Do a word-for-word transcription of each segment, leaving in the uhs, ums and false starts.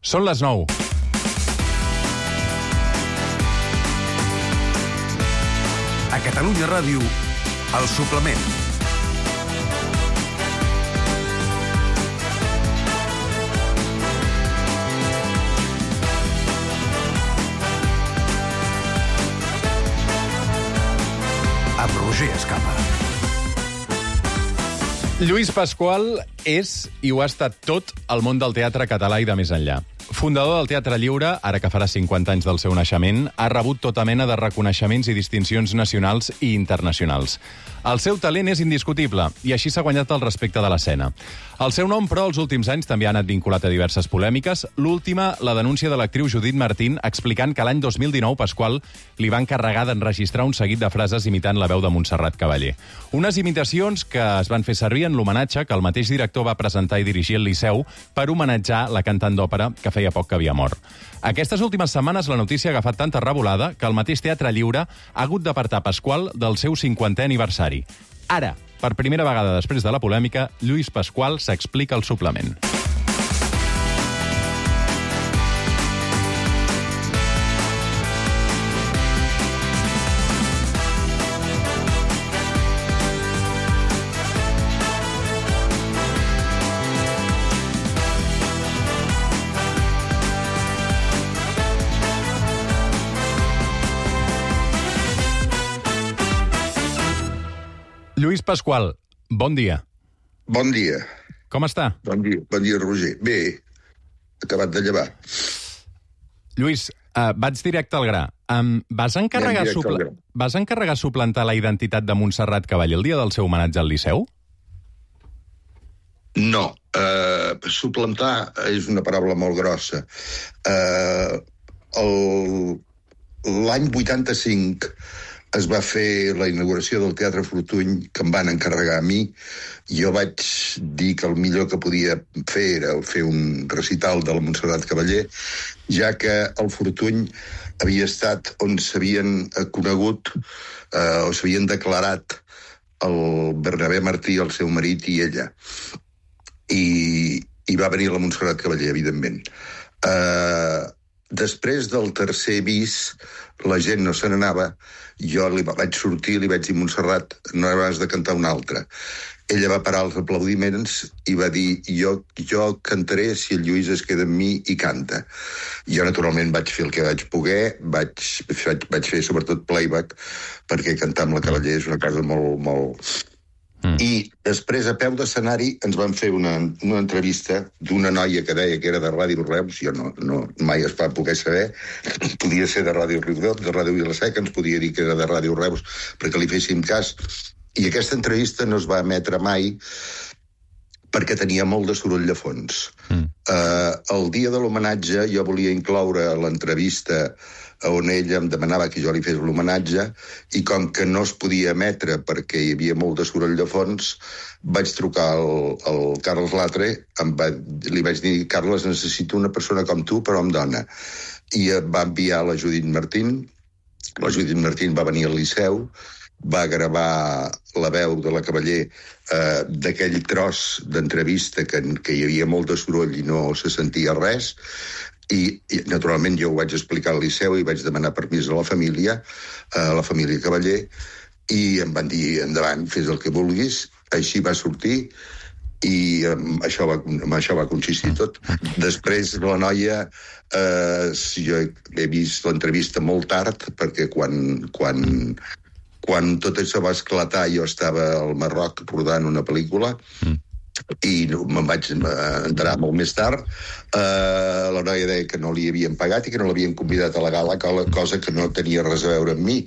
Són les nou. A Catalunya Ràdio, El Suplement. Amb Roger Escapa. Lluís Pasqual és, i ho ha estat tot, al món del teatre català i de més enllà. Fundador del Teatre Lliure, ara que farà cinquanta anys del seu naixement, ha rebut tota mena de reconeixements i distincions nacionals i internacionals. El seu talent és indiscutible i així s'ha guanyat el respecte de l'escena. El seu nom, però, els últims anys també ha anat vinculat a diverses polèmiques. L'última, la denúncia de l'actriu Judit Martín, explicant que l'any dos mil dinou Pasqual li va encarregar d'enregistrar un seguit de frases imitant la veu de Montserrat Cavaller. Unes imitacions que es van fer servir en l'homenatge que el mateix director va presentar i dirigir al Liceu per homenatjar la cantant d'òpera que feia poc que havia mort. Aquestes últimes setmanes la notícia ha agafat tanta revolada que el mateix Teatre Lliure ha hagut d'apartar Pasqual del seu cinquantè aniversari. Ara, per primera vegada després de la polèmica, Lluís Pasqual s'explica al suplement. Lluís Pasqual, bon dia. Bon dia. Com està? Bon dia, bon dia, Roger. Bé, acabat de llevar. Lluís, uh, vaig directe al gra. Um, vas, encarregar supl... gra. vas encarregar suplantar la identitat de Montserrat Cavaller el dia del seu homenatge al Liceu? No. Uh, suplantar és una paraula molt grossa. Uh, el... L'any vuitanta-cinc es va fer la inauguració del Teatre Fortuny, que em van encarregar a mi. Jo vaig dir que el millor que podia fer era fer un recital de la Montserrat Cavaller, ja que el Fortuny havia estat on s'havien conegut eh, o s'havien declarat el Bernabé Martí, el seu marit, i ella. I, i va venir la Montserrat Cavaller, evidentment. Eh... Després del tercer bis, la gent no se n'anava, jo li vaig sortir i li vaig dir, Montserrat, no has de cantar una altra. Ella va parar els aplaudiments i va dir, jo, jo cantaré si el Lluís es queda amb mi i canta. Jo, naturalment, vaig fer el que vaig poder, vaig, vaig, vaig fer sobretot playback, perquè cantar amb la Cavaller és una cosa molt... molt... Mm. I després, a peu d'escenari, ens van fer una, una entrevista d'una noia que deia que era de Ràdio Reus, jo no, no, mai es va poder saber, podia ser de Ràdio Riudoms, de Ràdio Vila-seca, ens podia dir que era de Ràdio Reus perquè li féssim cas, i aquesta entrevista no es va emetre mai perquè tenia molt de soroll de fons. Mm. Uh, el dia de l'homenatge jo volia incloure l'entrevista on ella em demanava que jo li fes l'homenatge, i com que no es podia emetre perquè hi havia molt de soroll de fons, vaig trucar al, al Carles Latre, em va, li vaig dir, Carles, necessito una persona com tu, però amb dona. I va enviar la Judit Martín, la Judit Martín va venir al Liceu, va gravar la veu de la Cavaller eh, d'aquell tros d'entrevista que, que hi havia molt de soroll i no se sentia res, i, i naturalment jo ho vaig explicar al Liceu i vaig demanar permís a la família, a la família Cavaller, i em van dir, endavant, fes el que vulguis. Així va sortir i amb això va, amb això va consistir tot. Després la noia, eh, jo he vist l'entrevista molt tard, perquè quan, quan, quan tot això va esclatar jo estava al Marroc rodant una pel·lícula, mm. i me'n vaig enterar molt més tard. Uh, la noia deia que no li havien pagat i que no l'havien convidat a la gala, cosa que no tenia res a veure amb mi.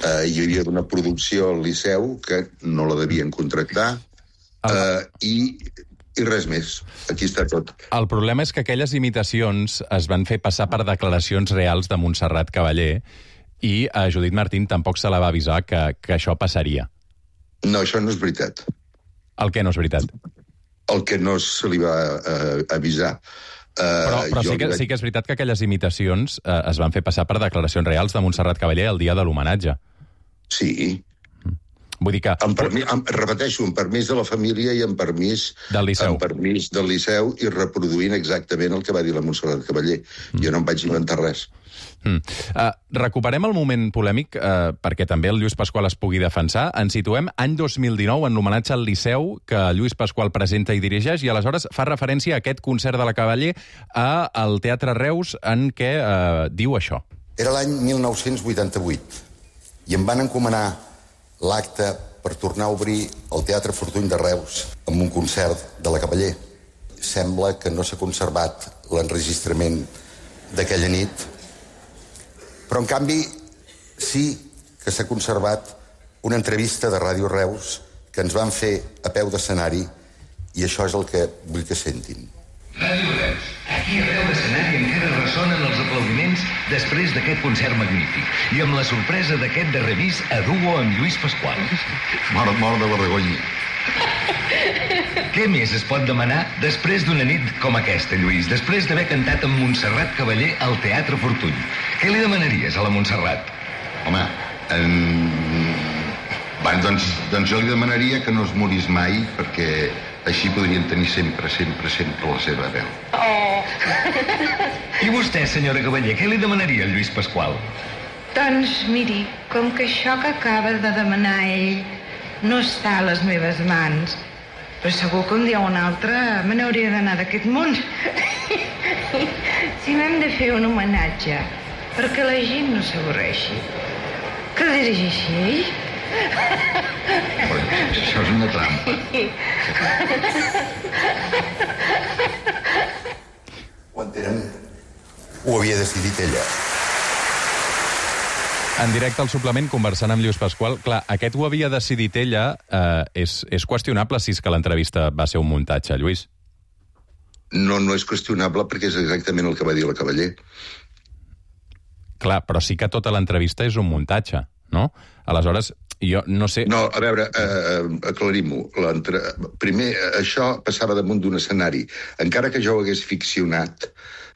Uh, hi havia una producció al Liceu que no la devien contractar, uh, i, i res més. Aquí està tot. El problema és que aquelles imitacions es van fer passar per declaracions reals de Montserrat Cavaller, i a Judit Martín tampoc se la va avisar que, que això passaria. No, això no és veritat. El què no és veritat? El que no se li va uh, avisar. Uh, però però sí, que, vaig... sí que és veritat que aquelles imitacions uh, es van fer passar per declaracions reals de Montserrat Cavaller el dia de l'homenatge. Sí. Vull dir que... Amb permís, amb, repeteixo, amb permís de la família i amb permís del Liceu. Amb permís del Liceu i reproduint exactament el que va dir la Montserrat Cavaller. Mm. Jo no em vaig inventar res. Mm. Uh, recuperem el moment polèmic uh, perquè també el Lluís Pasqual es pugui defensar. Ens situem any dos mil dinou en l'homenatge al Liceu que Lluís Pasqual presenta i dirigeix i aleshores fa referència a aquest concert de la Cavaller al Teatre Reus en què uh, diu això. Era l'any mil nou-cents vuitanta-vuit i em van encomanar l'acte per tornar a obrir el Teatre Fortuny de Reus amb un concert de la Cavaller. Sembla que no s'ha conservat l'enregistrament d'aquella nit, però en canvi sí que s'ha conservat una entrevista de Ràdio Reus que ens van fer a peu d'escenari i això és el que vull que sentin. Ràdio Reus, aquí a peu d'escenari encara ressonen els aplaudiments després d'aquest concert magnífic i amb la sorpresa d'aquest darrer vis a duo amb Lluís Pasqual. Mort, mort de vergonya. Què més es pot demanar després d'una nit com aquesta, Lluís? Després d'haver cantat amb Montserrat Cavaller al Teatre Fortuny. Què li demanaries a la Montserrat? Home, en... Bé, doncs, doncs jo li demanaria que no es morís mai perquè així podrien tenir sempre, sempre, sempre la seva veu. Oh! I vostè, senyora Cavaller, què li demanaria al Lluís Pasqual? Doncs, miri, com que això que acaba de demanar ell no està a les meves mans, però segur que un dia o un altre me n'hauria d'anar d'aquest món. Si m'hem de fer un homenatge perquè la gent no s'avorreixi, que dirigeixi ell? Però això és una trampa. Ho entenen? Ho havia decidit ella. En directe al suplement, conversant amb Lluís Pasqual, clar, aquest ho havia decidit ella, eh, és, és qüestionable si és que l'entrevista va ser un muntatge, Lluís? No, no és qüestionable perquè és exactament el que va dir la Cavaller. Clar, però sí que tota l'entrevista és un muntatge, no? Aleshores, jo no sé... No, a veure, eh, aclarim-ho. Primer, això passava damunt d'un escenari. Encara que jo ho hagués ficcionat...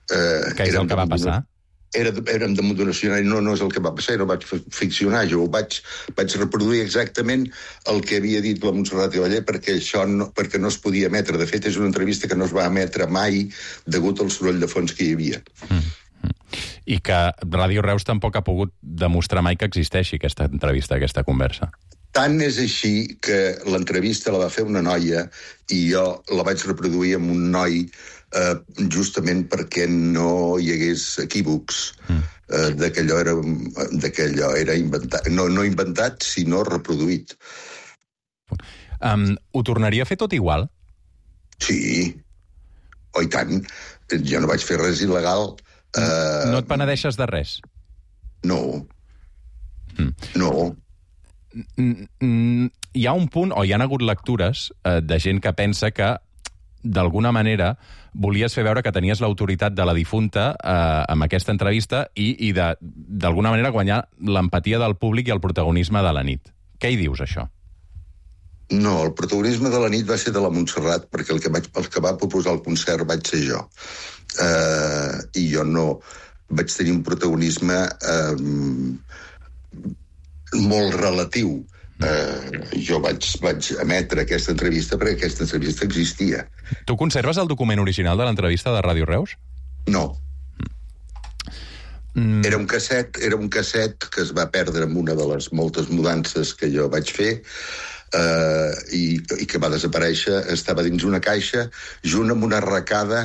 Eh, que és el que va passar? Era, érem damunt d'un escenari, no, no és el que va passar, no vaig ficcionar, jo ho vaig, vaig reproduir exactament el que havia dit la Montserrat Cavaller perquè això no, perquè no es podia emetre. De fet, és una entrevista que no es va emetre mai degut al soroll de fons que hi havia. Mm. I que Ràdio Reus tampoc ha pogut demostrar mai que existeixi aquesta entrevista, aquesta conversa. Tant és així que l'entrevista la va fer una noia i jo la vaig reproduir amb un noi eh, justament perquè no hi hagués equívocs mm. eh, de que allò era, de que allò era inventat. No, no inventat, sinó reproduït. Um, ho tornaria a fer tot igual? Sí. Oh, i tant. Jo no vaig fer res il·legal. Uh, no et penedeixes de res? No. Mm. No. Hi ha un punt, o hi ha hagut lectures eh, de gent que pensa que d'alguna manera volies fer veure que tenies l'autoritat de la difunta eh, amb aquesta entrevista i, i de, d'alguna manera guanyar l'empatia del públic i el protagonisme de la nit. Què hi dius, això? No, el protagonisme de la nit va ser de la Montserrat, perquè el que, vaig, el que va proposar el concert vaig ser jo. Uh, I jo no vaig tenir un protagonisme uh, molt relatiu. Uh, jo vaig, vaig emetre aquesta entrevista perquè aquesta entrevista existia. Tu conserves el document original de l'entrevista de Ràdio Reus? No. Mm. Era un casset, era un casset que es va perdre amb una de les moltes mudances que jo vaig fer Uh, i, i que va desaparèixer, estava dins una caixa junt amb una arracada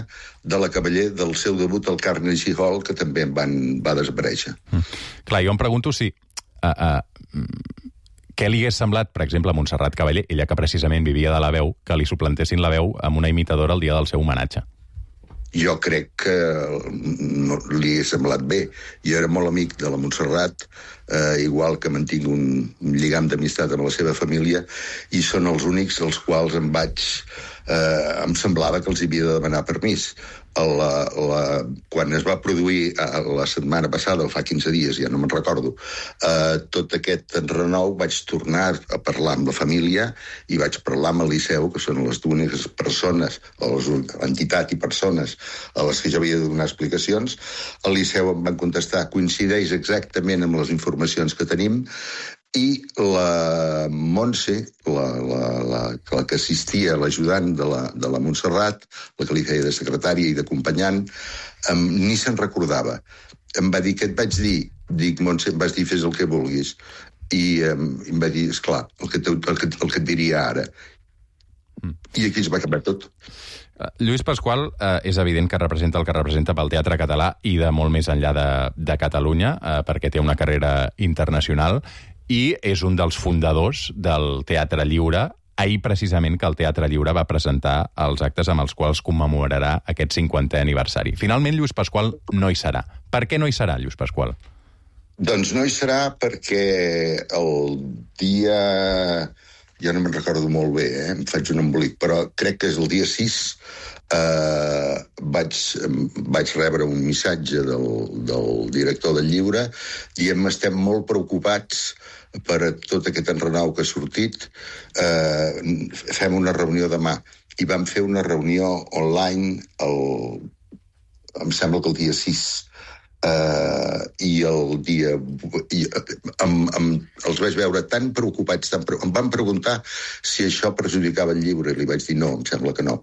de la Cavaller del seu debut al Carnegie Hall, que també van, va desaparèixer. Mm. Clar, jo em pregunto si uh, uh, què li hagués semblat, per exemple, a Montserrat Cavaller, ella que precisament vivia de la veu, que li suplantessin la veu amb una imitadora el dia del seu homenatge. Jo crec que no li he semblat bé. Jo era molt amic de la Montserrat, eh, igual que mantinc un lligam d'amistat amb la seva família, i són els únics als quals em vaig... Eh, em semblava que els havia de demanar permís. La, la, quan es va produir la setmana passada, o fa quinze dies, ja no me'n recordo, eh, tot aquest enrenou, vaig tornar a parlar amb la família i vaig parlar amb el Liceu, que són les úniques persones, les entitats i persones a les que jo havia de donar explicacions. El Liceu em van contestar, coincideix exactament amb les informacions que tenim, i la Montse, la, la, la, la que assistia, l'ajudant de la, de la Montserrat, la que li feia de secretària i d'acompanyant, um, ni se'n recordava. Em va dir, què et vaig dir? Dic, Montse, em vas dir, fes el que vulguis. I um, em va dir, esclar, el que, te, el, que, el que et diria ara. Mm. I aquí es va acabar tot. Uh, Lluís Pasqual uh, és evident que representa el que representa pel teatre català i de molt més enllà de, de Catalunya, uh, perquè té una carrera internacional, i és un dels fundadors del Teatre Lliure, ahir precisament que el Teatre Lliure va presentar els actes amb els quals commemorarà aquest cinquantè aniversari. Finalment, Lluís Pasqual no hi serà. Per què no hi serà, Lluís Pasqual? Doncs no hi serà perquè el dia... Ja no me'n recordo molt bé, eh? Em faig un embolic, però crec que és el dia sis, eh, vaig, vaig rebre un missatge del, del director del llibre dient estem molt preocupats per tot aquest enrenou que ha sortit, eh, fem una reunió demà. I vam fer una reunió online, el, em sembla que el dia sis, Uh, i el dia... I, amb, amb, els vaig veure tan preocupats, tan pre... em van preguntar si això perjudicava el llibre, i li vaig dir no, em sembla que no.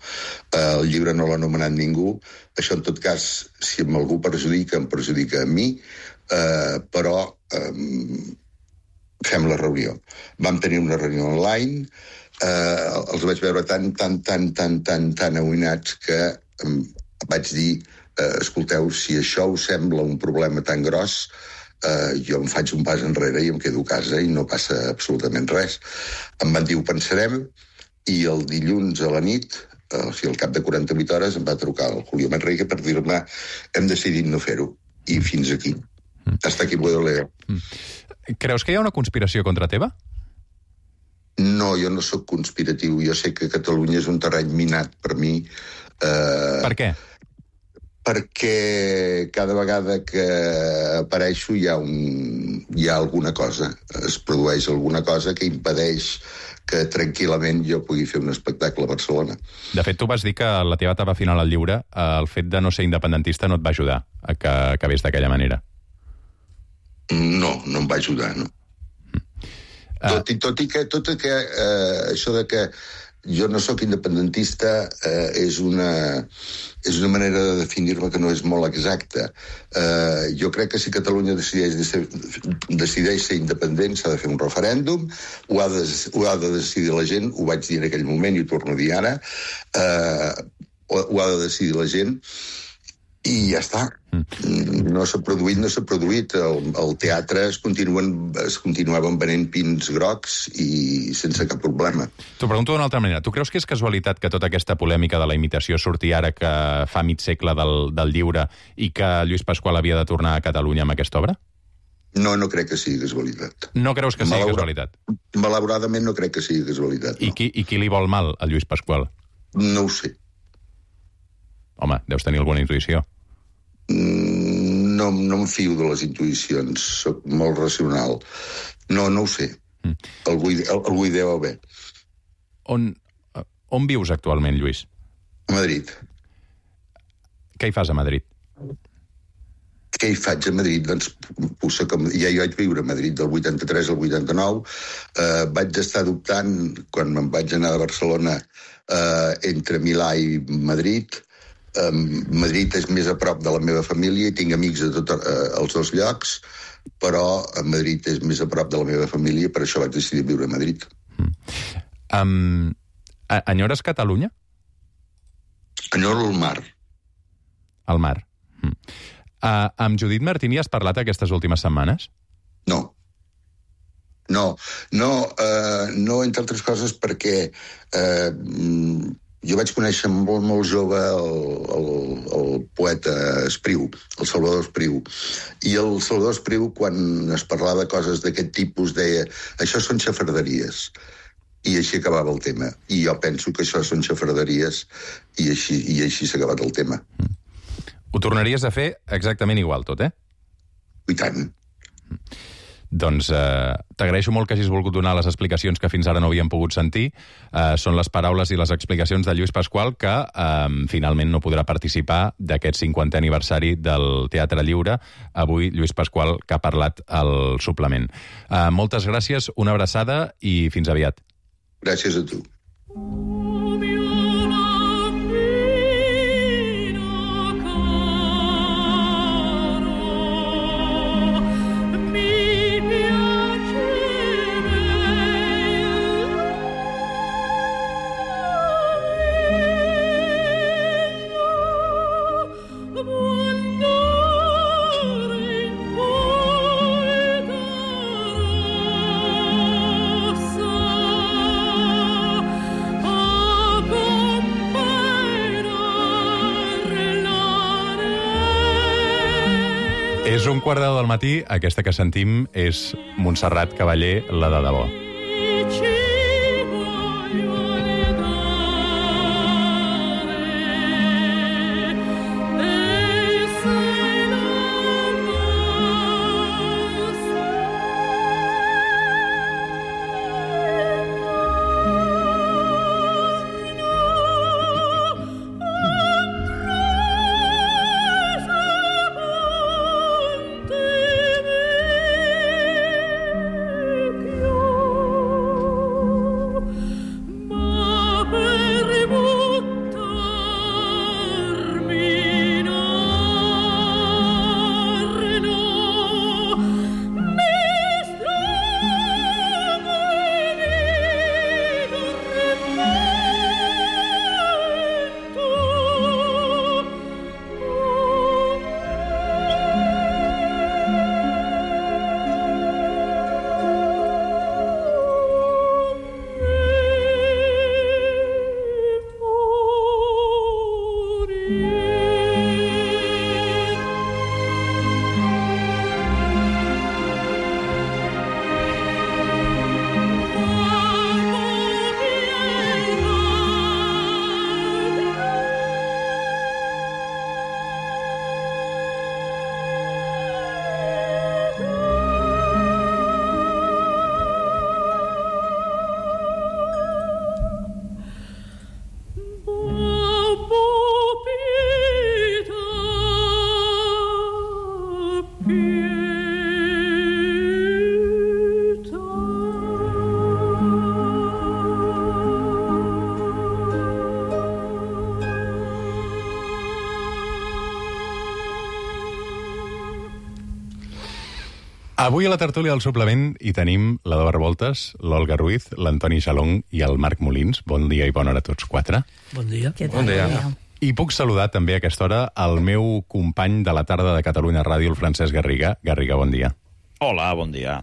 Uh, el llibre no l'ha anomenat ningú, això en tot cas, si amb algú perjudica, em perjudica a mi, uh, però um, fem la reunió. Vam tenir una reunió online, uh, els vaig veure tan, tan, tan, tan, tan, tan aïnats que um, vaig dir Uh, escolteu, si això us sembla un problema tan gros, uh, jo em faig un pas enrere i em quedo a casa i no passa absolutament res. Em van dir, ho pensarem, i el dilluns a la nit, uh, o sigui, al cap de quaranta-vuit hores, em va trucar el Julio Manrique per dir-me hem decidit no fer-ho. I fins aquí. Mm. Hasta aquí puedo leer. Mm. Creus que hi ha una conspiració contra teva? No, jo no sóc conspiratiu. Jo sé que Catalunya és un terreny minat per mi. Uh... Per què? Perquè cada vegada que apareixo hi ha, un, hi ha alguna cosa, es produeix alguna cosa que impedeix que tranquil·lament jo pugui fer un espectacle a Barcelona. De fet, tu vas dir que la teva etapa final al lliure, el fet de no ser independentista no et va ajudar a que acabés d'aquella manera. No, no em va ajudar, no. Mm. Uh... Tot, i, tot i que, tot i que eh, això de que jo no sóc independentista eh, és, una, és una manera de definir-me que no és molt exacta. Eh, jo crec que si Catalunya decideix, de ser, decideix ser independent s'ha de fer un referèndum, ho ha, de, ho ha de decidir la gent, ho vaig dir en aquell moment i ho torno a dir ara, eh, ho, ho ha de decidir la gent i ja està. Mm. No s'ha produït, no s'ha produït. El, el teatre es, continuen, es continuaven venent pins grocs i sense cap problema. T'ho pregunto d'una altra manera. Tu creus que és casualitat que tota aquesta polèmica de la imitació surti ara que fa mig segle del, del lliure i que Lluís Pasqual havia de tornar a Catalunya amb aquesta obra? No, no crec que sigui casualitat. No creus que sigui Malaura... casualitat? Malauradament no crec que sigui casualitat. No. I, qui, I qui li vol mal a Lluís Pasqual? No ho sé. Home, deus tenir alguna intuïció. No, no em fio de les intuïcions, soc molt racional. No, no ho sé. Mm. Algú, algú hi deu haver. On, on vius actualment, Lluís? A Madrid. Què hi fas a Madrid? Què hi faig a Madrid? Doncs puça com... ja hi vaig viure a Madrid del vuitanta-tres al vuitanta-nou. Eh, vaig estar dubtant, quan me'n vaig anar a Barcelona, eh, entre Milà i Madrid. Um, Madrid és més a prop de la meva família i tinc amics a tots uh, els dos llocs, però a Madrid és més a prop de la meva família, per això vaig decidir viure a Madrid. Mm. Um, enyores Catalunya? Enyoro el mar. El mar. Mm. Uh, amb Judit Martini has parlat aquestes últimes setmanes? No. No, no, uh, no entre altres coses perquè uh, jo vaig conèixer molt, molt jove el, el, el poeta Espriu, el Salvador Espriu. I el Salvador Espriu, quan es parlava de coses d'aquest tipus, deia això són xafarderies. I així acabava el tema. I jo penso que això són xafarderies i així, i així s'ha acabat el tema. Mm. Ho tornaries a fer exactament igual tot, eh? I tant. Mm. Doncs eh, t'agraeixo molt que hagis volgut donar les explicacions que fins ara no havíem pogut sentir. Eh, són les paraules i les explicacions de Lluís Pasqual, que eh, finalment no podrà participar d'aquest cinquantè aniversari del Teatre Lliure. Avui, Lluís Pasqual, que ha parlat al suplement. Eh, moltes gràcies, una abraçada i fins aviat. Gràcies a tu. És un quart de deu del matí, aquesta que sentim és Montserrat Cavaller, la de debò. Avui a la tertúlia del suplement hi tenim l'Ador Revoltes, l'Olga Ruiz, l'Antoni Xalong i el Marc Molins. Bon dia i bona hora a tots quatre. Bon dia. Bon dia. I puc saludar també a aquesta hora el meu company de la tarda de Catalunya Ràdio, el Francesc Garriga. Garriga, bon dia. Hola, bon dia.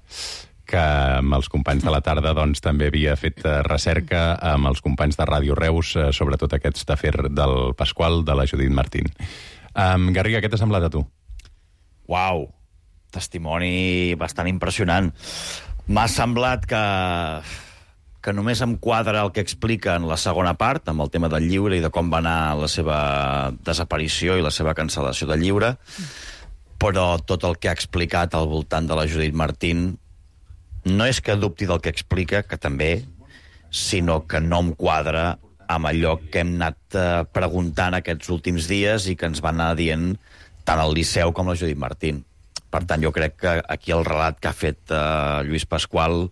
Que amb els companys de la tarda doncs, també havia fet recerca amb els companys de Ràdio Reus, sobretot aquest afer del Pasqual, de la Judit Martín. Um, Garriga, què t'ha semblat a tu? Uau, testimoni bastant impressionant. M'ha semblat que, que només em quadra el que explica en la segona part, amb el tema del lliure i de com va anar la seva desaparició i la seva cancel·lació del lliure, però tot el que ha explicat al voltant de la Judit Martín no és que dubti del que explica, que també, sinó que no em quadra amb allò que hem anat eh, preguntant aquests últims dies i que ens va anar dient tant el Liceu com la Judit Martín. Per tant, jo crec que aquí el relat que ha fet eh, Lluís Pasqual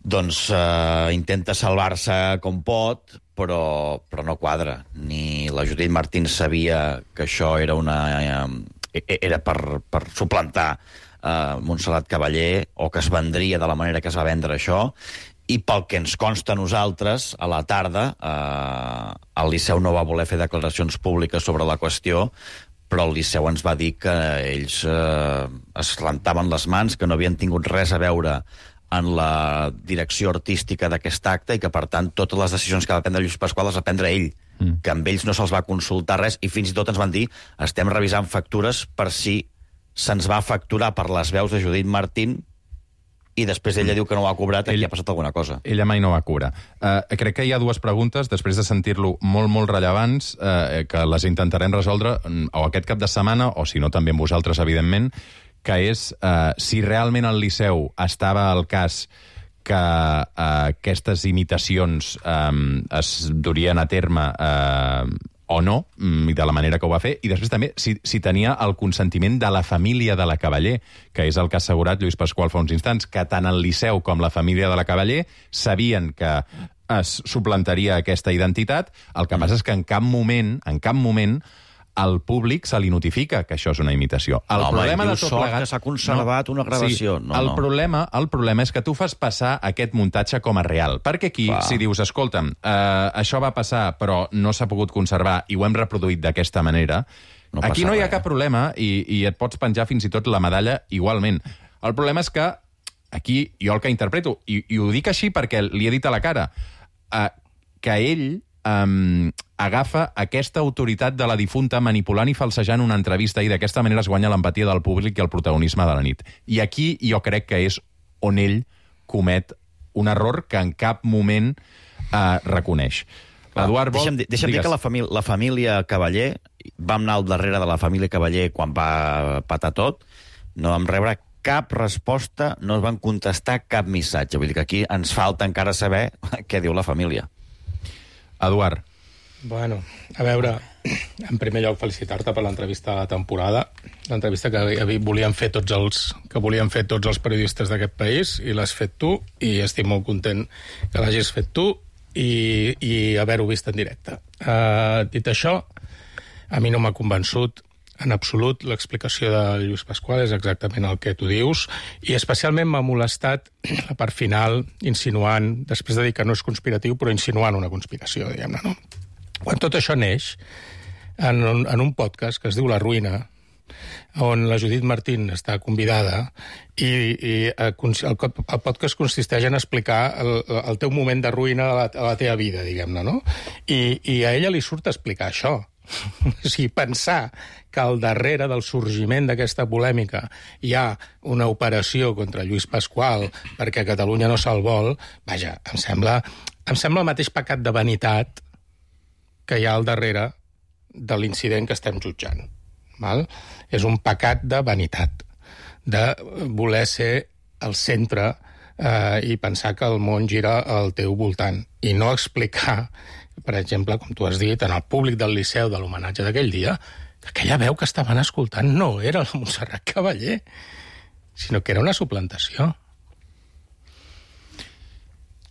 doncs eh, intenta salvar-se com pot, però, però no quadra. Ni la Judit Martín sabia que això era una eh, era per, per suplantar eh, Montserrat Cavaller, o que es vendria de la manera que es va vendre això, i pel que ens consta a nosaltres, a la tarda, eh, el Liceu no va voler fer declaracions públiques sobre la qüestió, però el Liceu ens va dir que ells eh, es rentaven les mans, que no havien tingut res a veure en la direcció artística d'aquest acte i que, per tant, totes les decisions que va prendre Lluís Pasqual les va prendre ell, mm. que amb ells no se'ls va consultar res, i fins i tot ens van dir estem revisant factures per si se'ns va facturar per les veus de Judit Martín i després ella diu que no ho ha cobrat, aquí Ell, ha passat alguna cosa. Ella mai no va cobrar. Uh, crec que hi ha dues preguntes, després de sentir-lo molt, molt rellevants, uh, que les intentarem resoldre o aquest cap de setmana, o si no també amb vosaltres, evidentment, que és eh, si realment al Liceu estava al cas que eh, aquestes imitacions eh, es durien a terme eh, o no, i de la manera que ho va fer, i després també si, si tenia el consentiment de la família de la Cavaller, que és el que ha assegurat Lluís Pasqual fa uns instants, que tant el Liceu com la família de la Cavaller sabien que es suplantaria aquesta identitat. El que passa és que en cap moment, en cap moment, al públic se li notifica que això és una imitació. El no, problema home, de tot sort plegat... que s'ha conservat no, una gravació. Sí, no, el, no. Problema, el problema és que tu fas passar aquest muntatge com a real. Perquè aquí, Va. si dius, escolta'm, eh, això va passar però no s'ha pogut conservar i ho hem reproduït d'aquesta manera, no aquí no hi ha res. cap problema i, i et pots penjar fins i tot la medalla igualment. El problema és que aquí jo el que interpreto, i, i ho dic així perquè li he dit a la cara, eh, que ell um, agafa aquesta autoritat de la difunta manipulant i falsejant una entrevista i d'aquesta manera es guanya l'empatia del públic i el protagonisme de la nit. I aquí jo crec que és on ell comet un error que en cap moment uh, reconeix. L'Eduard vol... Deixa'm, dir- deixa'm dir que la, família, la família Cavaller, vam anar al darrere de la família Cavaller quan va patar tot, no vam rebre cap resposta, no es van contestar cap missatge. Vull dir que aquí ens falta encara saber què diu la família. Eduard. Bueno, a veure, en primer lloc felicitar-te per l'entrevista de la temporada, l'entrevista que havi- volíem fer tots els que volíem fer tots els periodistes d'aquest país, i l'has fet tu, i estic molt content que l'hagis fet tu i, i haver-ho vist en directe. Uh, dit això, a mi no m'ha convençut en absolut l'explicació de Lluís Pasqual, és exactament el que tu dius, i especialment m'ha molestat la part final, insinuant, després de dir que no és conspiratiu, però insinuant una conspiració, diguem-ne, no? Quan tot això neix en un, en un podcast que es diu La Ruïna, on la Judit Martín està convidada, i, i el, el podcast consisteix en explicar el, el teu moment de ruïna de la, de la teva vida, diguem-ne, no? I, I a ella li surt a explicar això. O sigui, pensar que al darrere del sorgiment d'aquesta polèmica hi ha una operació contra Lluís Pasqual perquè Catalunya no se'l vol, vaja, em sembla, em sembla el mateix pecat de vanitat que hi ha al darrere de l'incident que estem jutjant. Val? És un pecat de vanitat, de voler ser el centre eh, i pensar que el món gira al teu voltant, i no explicar, per exemple, com tu has dit, en el públic del Liceu de l'homenatge d'aquell dia, que aquella veu que estaven escoltant no era la Montserrat Cavaller, sinó que era una suplantació.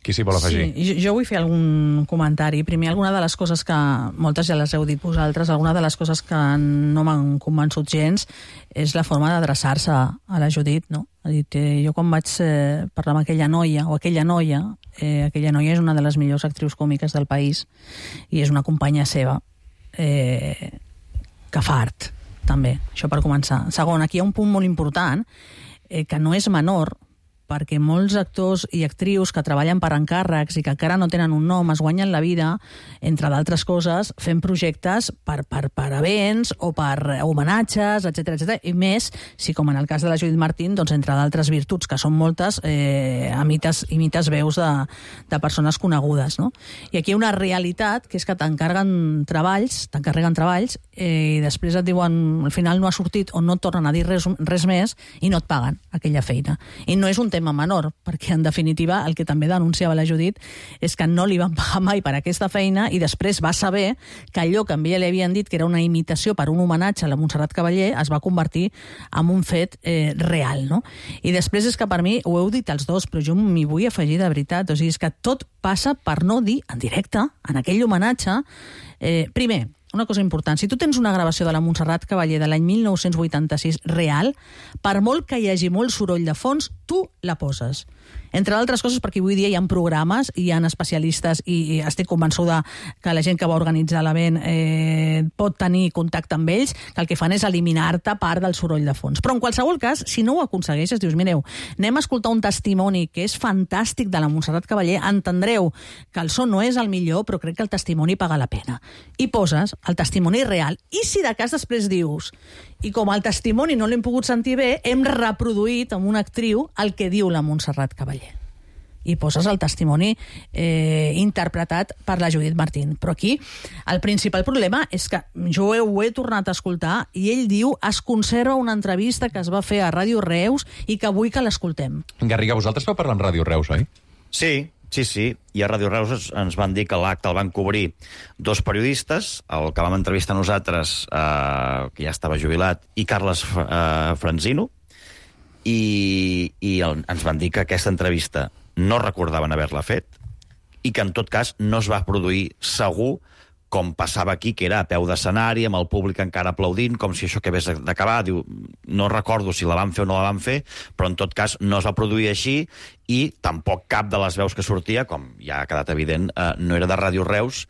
Qui s'hi vol afegir? Sí, jo, jo vull fer algun comentari. Primer, alguna de les coses que, moltes ja les heu dit vosaltres, alguna de les coses que no m'han convençut gens és la forma d'adreçar-se a la Judit, no? Ha dit, eh, jo quan vaig eh, parlar amb aquella noia, o aquella noia, eh, aquella noia és una de les millors actrius còmiques del país i és una companya seva, eh, que fa art, també, això per començar. Segon, aquí hi ha un punt molt important, eh, que no és menor, perquè molts actors i actrius que treballen per encàrrecs i que encara no tenen un nom es guanyen la vida, entre d'altres coses, fent projectes per, per, per events o per homenatges, etcètera, etcètera. I més, si com en el cas de la Judit Martín, doncs entre d'altres virtuts, que són moltes, eh, imites, imites veus de, de persones conegudes, no? I aquí hi ha una realitat, que és que t'encarreguen treballs, t'encarreguen treballs, eh, i després et diuen, al final no ha sortit o no et tornen a dir res, res més i no et paguen aquella feina. I no és un tema menor, perquè en definitiva el que també denunciava la Judit és que no li van pagar mai per aquesta feina i després va saber que allò que a ella li havien dit que era una imitació per un homenatge a la Montserrat Cavaller es va convertir en un fet eh, real, no? I després és que per mi, ho heu dit els dos, però jo m'hi vull afegir de veritat, o sigui, és que tot passa per no dir en directe, en aquell homenatge, eh, primer, una cosa important, si tu tens una gravació de la Montserrat Cavaller de l'any mil nou-cents vuitanta-sis real, per molt que hi hagi molt soroll de fons, tu la poses. Entre altres coses, perquè avui dia hi ha programes, hi ha especialistes i, i estic convençuda que la gent que va organitzar l'event eh, pot tenir contacte amb ells, que el que fan és eliminar-te part del soroll de fons. Però en qualsevol cas, si no ho aconsegueixes, dius, mireu, anem a escoltar un testimoni que és fantàstic de la Montserrat Cavaller, entendreu que el so no és el millor, però crec que el testimoni paga la pena. I poses el testimoni real. I si de cas després dius, i com el testimoni no l'hem pogut sentir bé, hem reproduït amb una actriu el que diu la Montserrat Cavaller. i poses el testimoni eh, interpretat per la Judit Martín. Però aquí el principal problema és que jo ho he tornat a escoltar i ell diu es conserva una entrevista que es va fer a Ràdio Reus i que vull que l'escoltem. Garriga, vosaltres vau parlar amb Ràdio Reus, oi? Sí, sí, sí. I a Ràdio Reus ens van dir que l'acte el van cobrir dos periodistes, el que vam entrevistar nosaltres, eh, que ja estava jubilat, i Carles eh, Franzino, i, i el, ens van dir que aquesta entrevista no recordaven haver-la fet i que, en tot cas, no es va produir segur com passava aquí, que era a peu d'escenari, amb el públic encara aplaudint, com si això acabés d'acabar. Diu, no recordo si la van fer o no la van fer, però en tot cas no es va produir així i tampoc cap de les veus que sortia, com ja ha quedat evident, eh, no era de Ràdio Reus.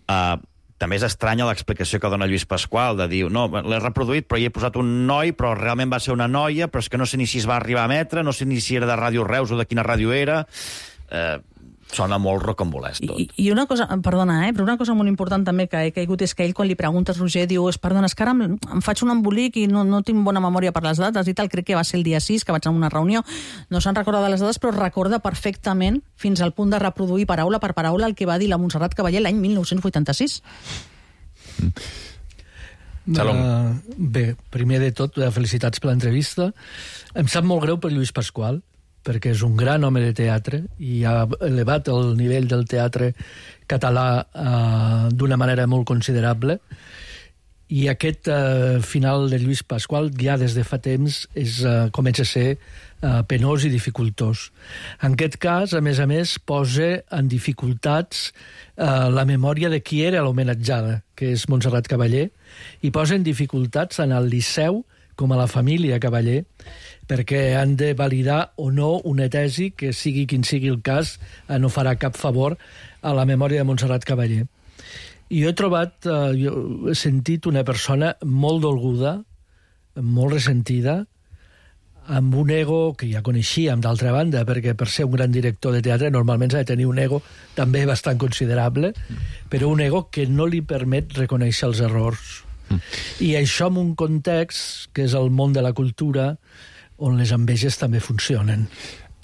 Eh, també és estranya l'explicació que dona Lluís Pasqual, de dir, no, l'he reproduït, però hi he posat un noi, però realment va ser una noia, però és que no sé ni si es va arribar a emetre, no sé ni si era de Ràdio Reus o de quina ràdio era... Eh, sona molt rocambolès tot. I, I una cosa, perdona, eh, però una cosa molt important també que he caigut és que ell, quan li preguntes, Roger, diu, és, perdona, és que ara em, em faig un embolic i no, no tinc bona memòria per les dates i tal, crec que va ser el dia sis, que vaig anar a una reunió, no se'n recorda de les dades, però recorda perfectament, fins al punt de reproduir paraula per paraula el que va dir la Montserrat Caballé l'any mil nou-cents vuitanta-sis. Uh, bé, primer de tot, felicitats per l'entrevista. Em sap molt greu per Lluís Pasqual, perquè és un gran home de teatre i ha elevat el nivell del teatre català eh, d'una manera molt considerable. I aquest eh, final de Lluís Pasqual ja des de fa temps és, eh, comença a ser eh, penós i dificultós. En aquest cas, a més a més, posa en dificultats eh, la memòria de qui era l'homenatjada, que és Montserrat Caballé, i posa en dificultats tant al Liceu com a la família Caballé, perquè han de validar o no una tesi que, sigui quin sigui el cas, no farà cap favor a la memòria de Montserrat Caballé. I jo he trobat, eh, jo he sentit una persona molt dolguda, molt ressentida, amb un ego que ja coneixíem d'altra banda, perquè per ser un gran director de teatre normalment s'ha de tenir un ego també bastant considerable, però un ego que no li permet reconèixer els errors. Mm. I això en un context que és el món de la cultura, on les enveges també funcionen.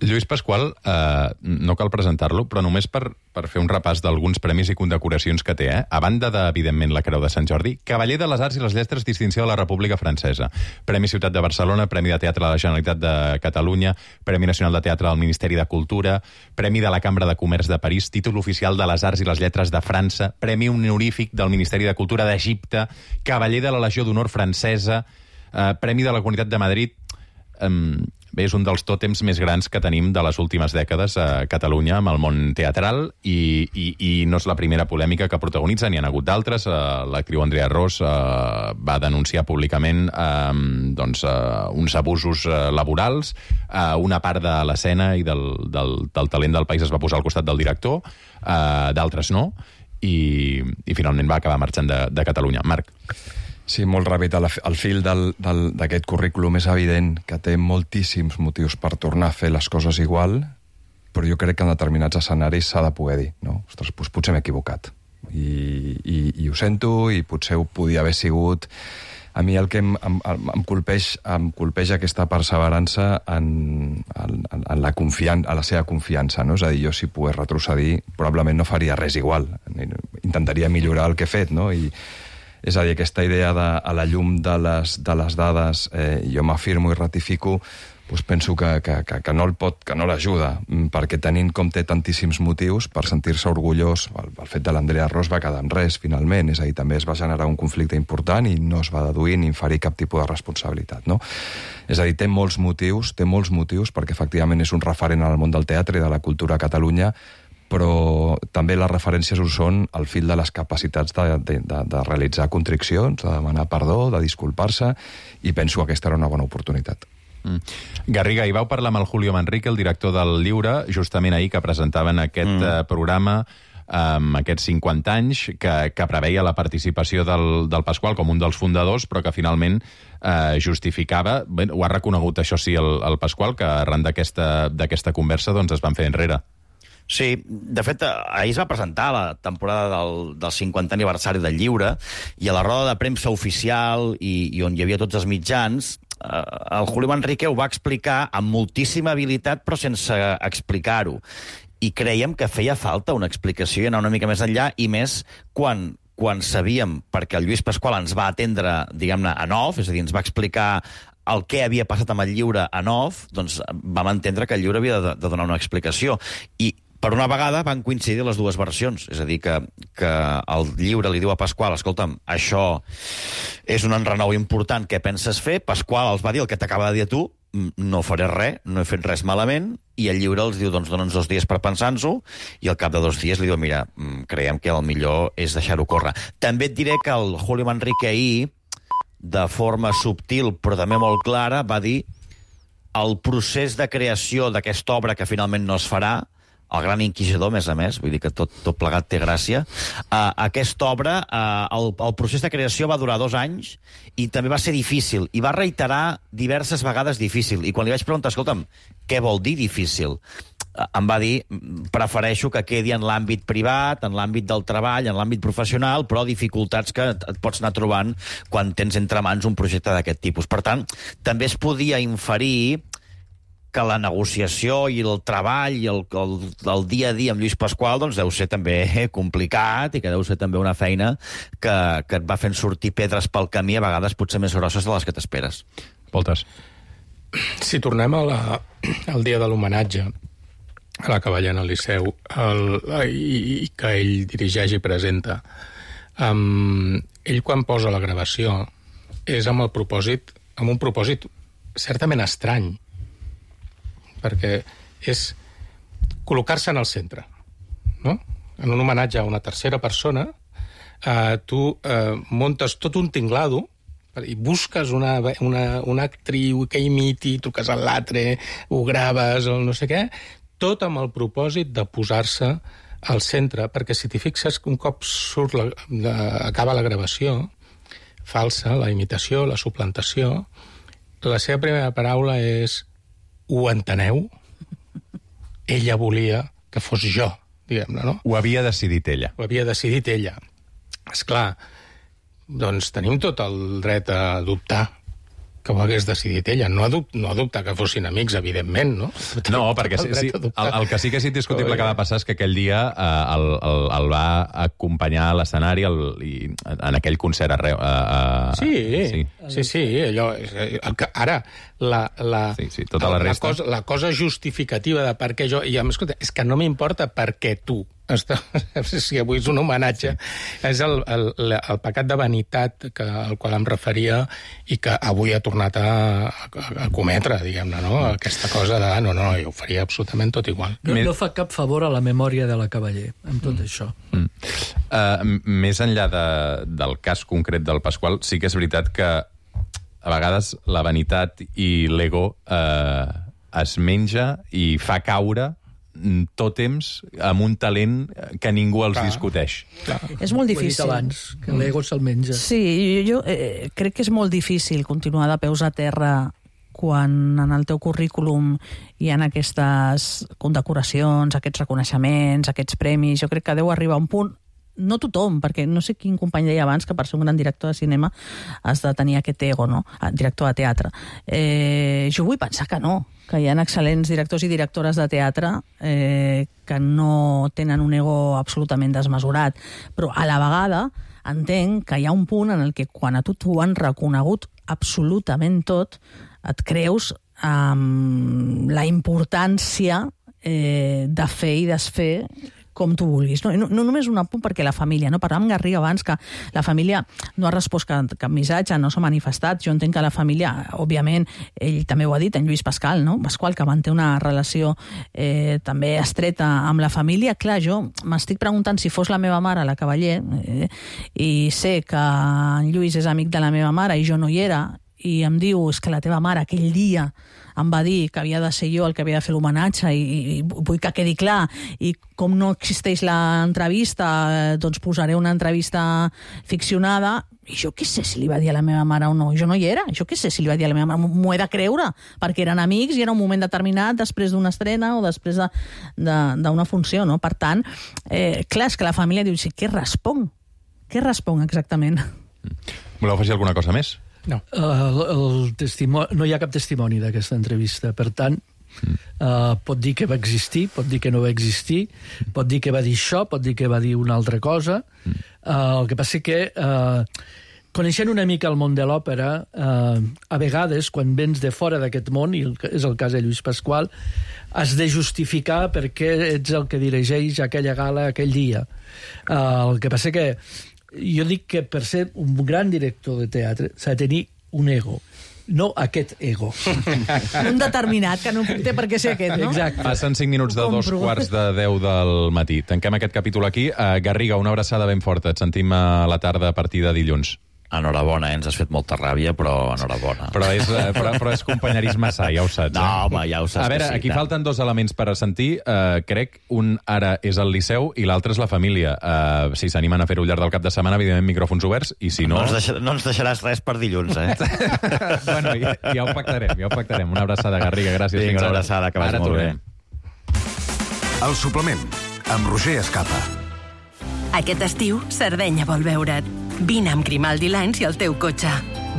Lluís Pasqual, eh, no cal presentar-lo, però només per, per fer un repàs d'alguns premis i condecoracions que té, eh? A banda de, evidentment, la Creu de Sant Jordi, Cavaller de les Arts i les Lletres, distinció de la República Francesa, Premi Ciutat de Barcelona, Premi de Teatre de la Generalitat de Catalunya, Premi Nacional de Teatre del Ministeri de Cultura, Premi de la Cambra de Comerç de París, Títol Oficial de les Arts i les Lletres de França, Premi Honorífic del Ministeri de Cultura d'Egipte, Cavaller de la Legió d'Honor Francesa, eh, Premi de la Comunitat de Madrid. Um, bé, és un dels tòtems més grans que tenim de les últimes dècades a Catalunya amb el món teatral i, i, i no és la primera polèmica que protagonitza, n'hi ha hagut d'altres. Uh, l'actriu Andrea Ros uh, va denunciar públicament uh, doncs, uh, uns abusos uh, laborals, uh, una part de l'escena i del, del, del talent del país es va posar al costat del director, uh, d'altres no, i, i finalment va acabar marxant de, de Catalunya. Marc. Sí, molt ràpid. El fil d'aquest currículum és evident que té moltíssims motius per tornar a fer les coses igual, però jo crec que en determinats escenaris s'ha de poder dir, no? Ostres, doncs potser m'he equivocat. I, i, I ho sento, i potser ho podia haver sigut. A mi el que em, em, em, colpeix, em colpeix aquesta perseverança en, en, en, la confian, en la seva confiança, no? És a dir, jo si pogués retrocedir, probablement no faria res igual. Intentaria millorar el que he fet, no? I és a dir, aquesta idea de, a la llum de les, de les dades, eh, jo m'afirmo i ratifico, doncs penso que, que, que, que no el pot, que no l'ajuda, perquè tenint com té tantíssims motius per sentir-se orgullós, el, el fet de l'Andrea Ros va quedar en res, finalment, és a dir, també es va generar un conflicte important i no es va deduir ni inferir cap tipus de responsabilitat, no? És a dir, té molts motius, té molts motius, perquè efectivament és un referent en el món del teatre i de la cultura a Catalunya, però també les referències ho són al fil de les capacitats de, de, de, de realitzar contriccions, de demanar perdó, de disculpar-se, i penso que aquesta era una bona oportunitat. Mm. Garriga, hi vau parlar amb el Julio Manrique, el director del Lliure, justament ahir que presentaven aquest mm. uh, programa amb um, aquests cinquanta anys, que, que preveia la participació del, del Pasqual com un dels fundadors, però que finalment eh, justificava, bé, ho ha reconegut això sí el, el Pasqual, que arran d'aquesta d'aquesta conversa doncs es van fer enrere. Sí, de fet, ahir es va presentar la temporada del, del cinquantè aniversari del Lliure, i a la roda de premsa oficial i, i on hi havia tots els mitjans, el Julio Manrique ho va explicar amb moltíssima habilitat, però sense explicar-ho. I creiem que feia falta una explicació i anar una mica més enllà, i més quan, quan sabíem, perquè el Lluís Pasqual ens va atendre, diguem-ne, en off, és a dir, ens va explicar el que havia passat amb el llibre en off, doncs vam entendre que el llibre havia de, de donar una explicació. I per una vegada van coincidir les dues versions. És a dir, que, que el llibre li diu a Pasqual, escolta'm, això és un enrenou important, què penses fer? Pasqual els va dir el que t'acaba de dir a tu, no faré res, no he fet res malament, i el llibre els diu, doncs dona'ns dos dies per pensar-nos-ho, i al cap de dos dies li diu, mira, creiem que el millor és deixar-ho córrer. També et diré que el Julio Manrique ahir, de forma subtil però també molt clara, va dir el procés de creació d'aquesta obra que finalment no es farà, el Gran Inquisidor, a més a més, vull dir que tot, tot plegat té gràcia. Uh, aquesta obra, uh, el, el procés de creació va durar dos anys i també va ser difícil, i va reiterar diverses vegades difícil. I quan li vaig preguntar, escolta'm, què vol dir difícil? Uh, em va dir, prefereixo que quedi en l'àmbit privat, en l'àmbit del treball, en l'àmbit professional, però dificultats que et, et pots anar trobant quan tens entre mans un projecte d'aquest tipus. Per tant, també es podia inferir que la negociació i el treball i el, el, el dia a dia amb Lluís Pasqual doncs deu ser també complicat i que deu ser també una feina que, que et va fent sortir pedres pel camí, a vegades potser més grosses de les que t'esperes. Voltes. Si tornem a la, al dia de l'homenatge a la Cavallena al Liceu, el, i, i que ell dirigeix i presenta, um, ell quan posa la gravació és amb el propòsit, amb un propòsit certament estrany, perquè és col·locar-se en el centre, no? En un homenatge a una tercera persona, eh, tu eh, montes tot un tinglado i busques una, una, una actriu que imiti, truques a l'altre, ho graves, o no sé què, tot amb el propòsit de posar-se al centre, perquè si t'hi fixes, un cop surt la, la, acaba la gravació falsa, la imitació, la suplantació, la seva primera paraula és ho enteneu? Ella volia que fos jo, diguem-ne, no? Ho havia decidit ella. Ho havia decidit ella. Esclar, doncs tenim tot el dret a dubtar que ho hagués decidit ella. No a, dub no a dubtar que fossin amics, evidentment, no? No, perquè sí, sí, el, el que sí que és indiscutible que va passar és que aquell dia eh, el, el, el va acompanyar a l'escenari en aquell concert arreu. Eh, eh, sí, sí, sí, sí, allò... El que, ara, la, la, sí, sí, tota la, la, resta. cosa, la cosa justificativa de per què jo... I a més, escolta, és que no m'importa per què tu. Si avui és un homenatge, sí. És el, el, el pecat de vanitat que, al qual em referia i que avui ha tornat a, a, a cometre, diguem-ne, no? Aquesta cosa de, no, no, jo ho faria absolutament tot igual. No, no fa cap favor a la memòria de la Cavaller, amb tot mm. això. Mm. Uh, més enllà de, del cas concret del Pasqual, sí que és veritat que a vegades la vanitat i l'ego uh, es menja i fa caure tòtems amb un talent que ningú els clar, discuteix. Clar. És molt difícil. Abans, que l'ego se'l menja. Sí, jo eh, crec que és molt difícil continuar de peus a terra quan en el teu currículum hi ha aquestes condecoracions, aquests reconeixements, aquests premis. Jo crec que deu arribar a un punt, no tothom, perquè no sé quin company deia abans que per ser un gran director de cinema has de tenir aquest ego, no? Director de teatre. Eh, jo vull pensar que no, que hi ha excel·lents directors i directores de teatre eh, que no tenen un ego absolutament desmesurat, però a la vegada entenc que hi ha un punt en el que quan a tu t'ho han reconegut absolutament tot, et creus amb la importància eh, de fer i desfer com tu vulguis. No, no, no només un apunt perquè la família, no? Parlàvem amb Garriga abans que la família no ha respost cap, cap missatge, no s'ha manifestat. Jo entenc que la família, òbviament, ell també ho ha dit, en Lluís Pasqual, no? Pasqual, que manté una relació eh, també estreta amb la família. Clar, jo m'estic preguntant si fos la meva mare, la Cavaller, eh, i sé que en Lluís és amic de la meva mare i jo no hi era, i em diu, és que la teva mare aquell dia em va dir que havia de ser jo el que havia de fer l'homenatge i, i vull que quedi clar, i com no existeix l'entrevista, doncs posaré una entrevista ficcionada, i jo què sé si li va dir a la meva mare o no, jo no hi era, jo què sé si li va dir a la meva mare, m'ho he de creure, perquè eren amics i era un moment determinat després d'una estrena o després d'una funció, no? Per tant, eh, clar, és que la família diu, sí, què responc? Què responc exactament? Voleu afegir alguna cosa més? No. El, el testimoni, no hi ha cap testimoni d'aquesta entrevista. Per tant, mm. uh, pot dir que va existir, pot dir que no va existir, pot dir que va dir això, pot dir que va dir una altra cosa. Mm. Uh, el que passa que, uh, coneixent una mica el món de l'òpera, uh, a vegades, quan vens de fora d'aquest món, i és el cas de Lluís Pasqual, has de justificar per què ets el que dirigeix aquella gala aquell dia. Uh, el que passa que jo dic que per ser un gran director de teatre s'ha de tenir un ego, no aquest ego. Un determinat, que no té per què ser aquest, no? Exacte. Passen cinc minuts de dos quarts de deu del matí. Tanquem aquest capítol aquí. Uh, Garriga, una abraçada ben forta. Et sentim a la tarda a partir de dilluns. Enhorabona, eh? Ens has fet molta ràbia, però enhorabona. Però és, però, però és companyerisme sa, ja ho saps. No, eh? home, ja ho saps. A veure, sí, aquí tant. falten dos elements per a sentir. Uh, crec un ara és el Liceu i l'altre és la família. Uh, si s'animen a fer-ho al llarg del cap de setmana, evidentment, micròfons oberts, i si no... No ens, deixa, no ens deixaràs res per dilluns, eh? Bueno, ja, ja ho pactarem, ja ho pactarem. Una abraçada, Garriga, gràcies. Vinga, Fins una ara. abraçada, que vagi Ara molt tornem. bé. El suplement, amb Roger Escapa. Aquest estiu, Sardenya vol veure't. Vine amb Grimaldi Lines i el teu cotxe.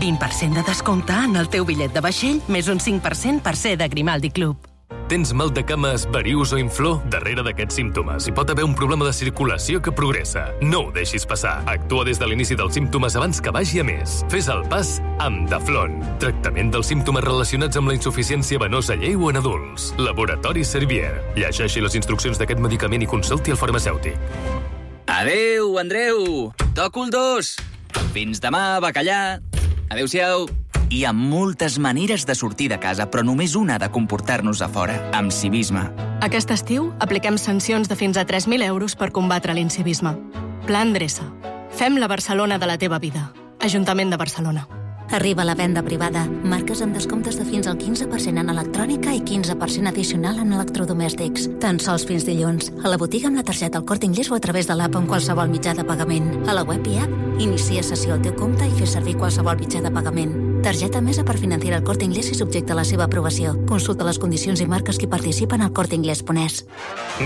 vint per cent de descompte en el teu bitllet de vaixell, més un cinc per cent per ser de Grimaldi Club. Tens mal de cames, varius o inflor? Darrere d'aquests símptomes hi pot haver un problema de circulació que progressa. No ho deixis passar. Actua des de l'inici dels símptomes abans que vagi a més. Fes el pas amb Daflon. Tractament dels símptomes relacionats amb la insuficiència venosa lleu en adults. Laboratori Servier. Llegeixi les instruccions d'aquest medicament i consulti el farmacèutic. Adeu, Andreu! Toco el dos! Fins demà, bacallà! Adéu-siau! Hi ha moltes maneres de sortir de casa, però només una ha de comportar-nos a fora, amb civisme. Aquest estiu apliquem sancions de fins a tres mil euros per combatre l'incivisme. Pla Endreça. Fem la Barcelona de la teva vida. Ajuntament de Barcelona. Arriba la venda privada. Marques amb descomptes de fins al quinze per cent en electrònica i quinze per cent addicional en electrodomèstics. Tan sols fins dilluns. A la botiga amb la targeta El Corte Inglés o a través de l'app amb qualsevol mitjà de pagament. A la web i app, inicia sessió al teu compte i fes servir qualsevol mitjà de pagament. Targeta Mesa per financiar El Corte Inglés i subjecte a la seva aprovació. Consulta les condicions i marques que participen al corte inglés punt es.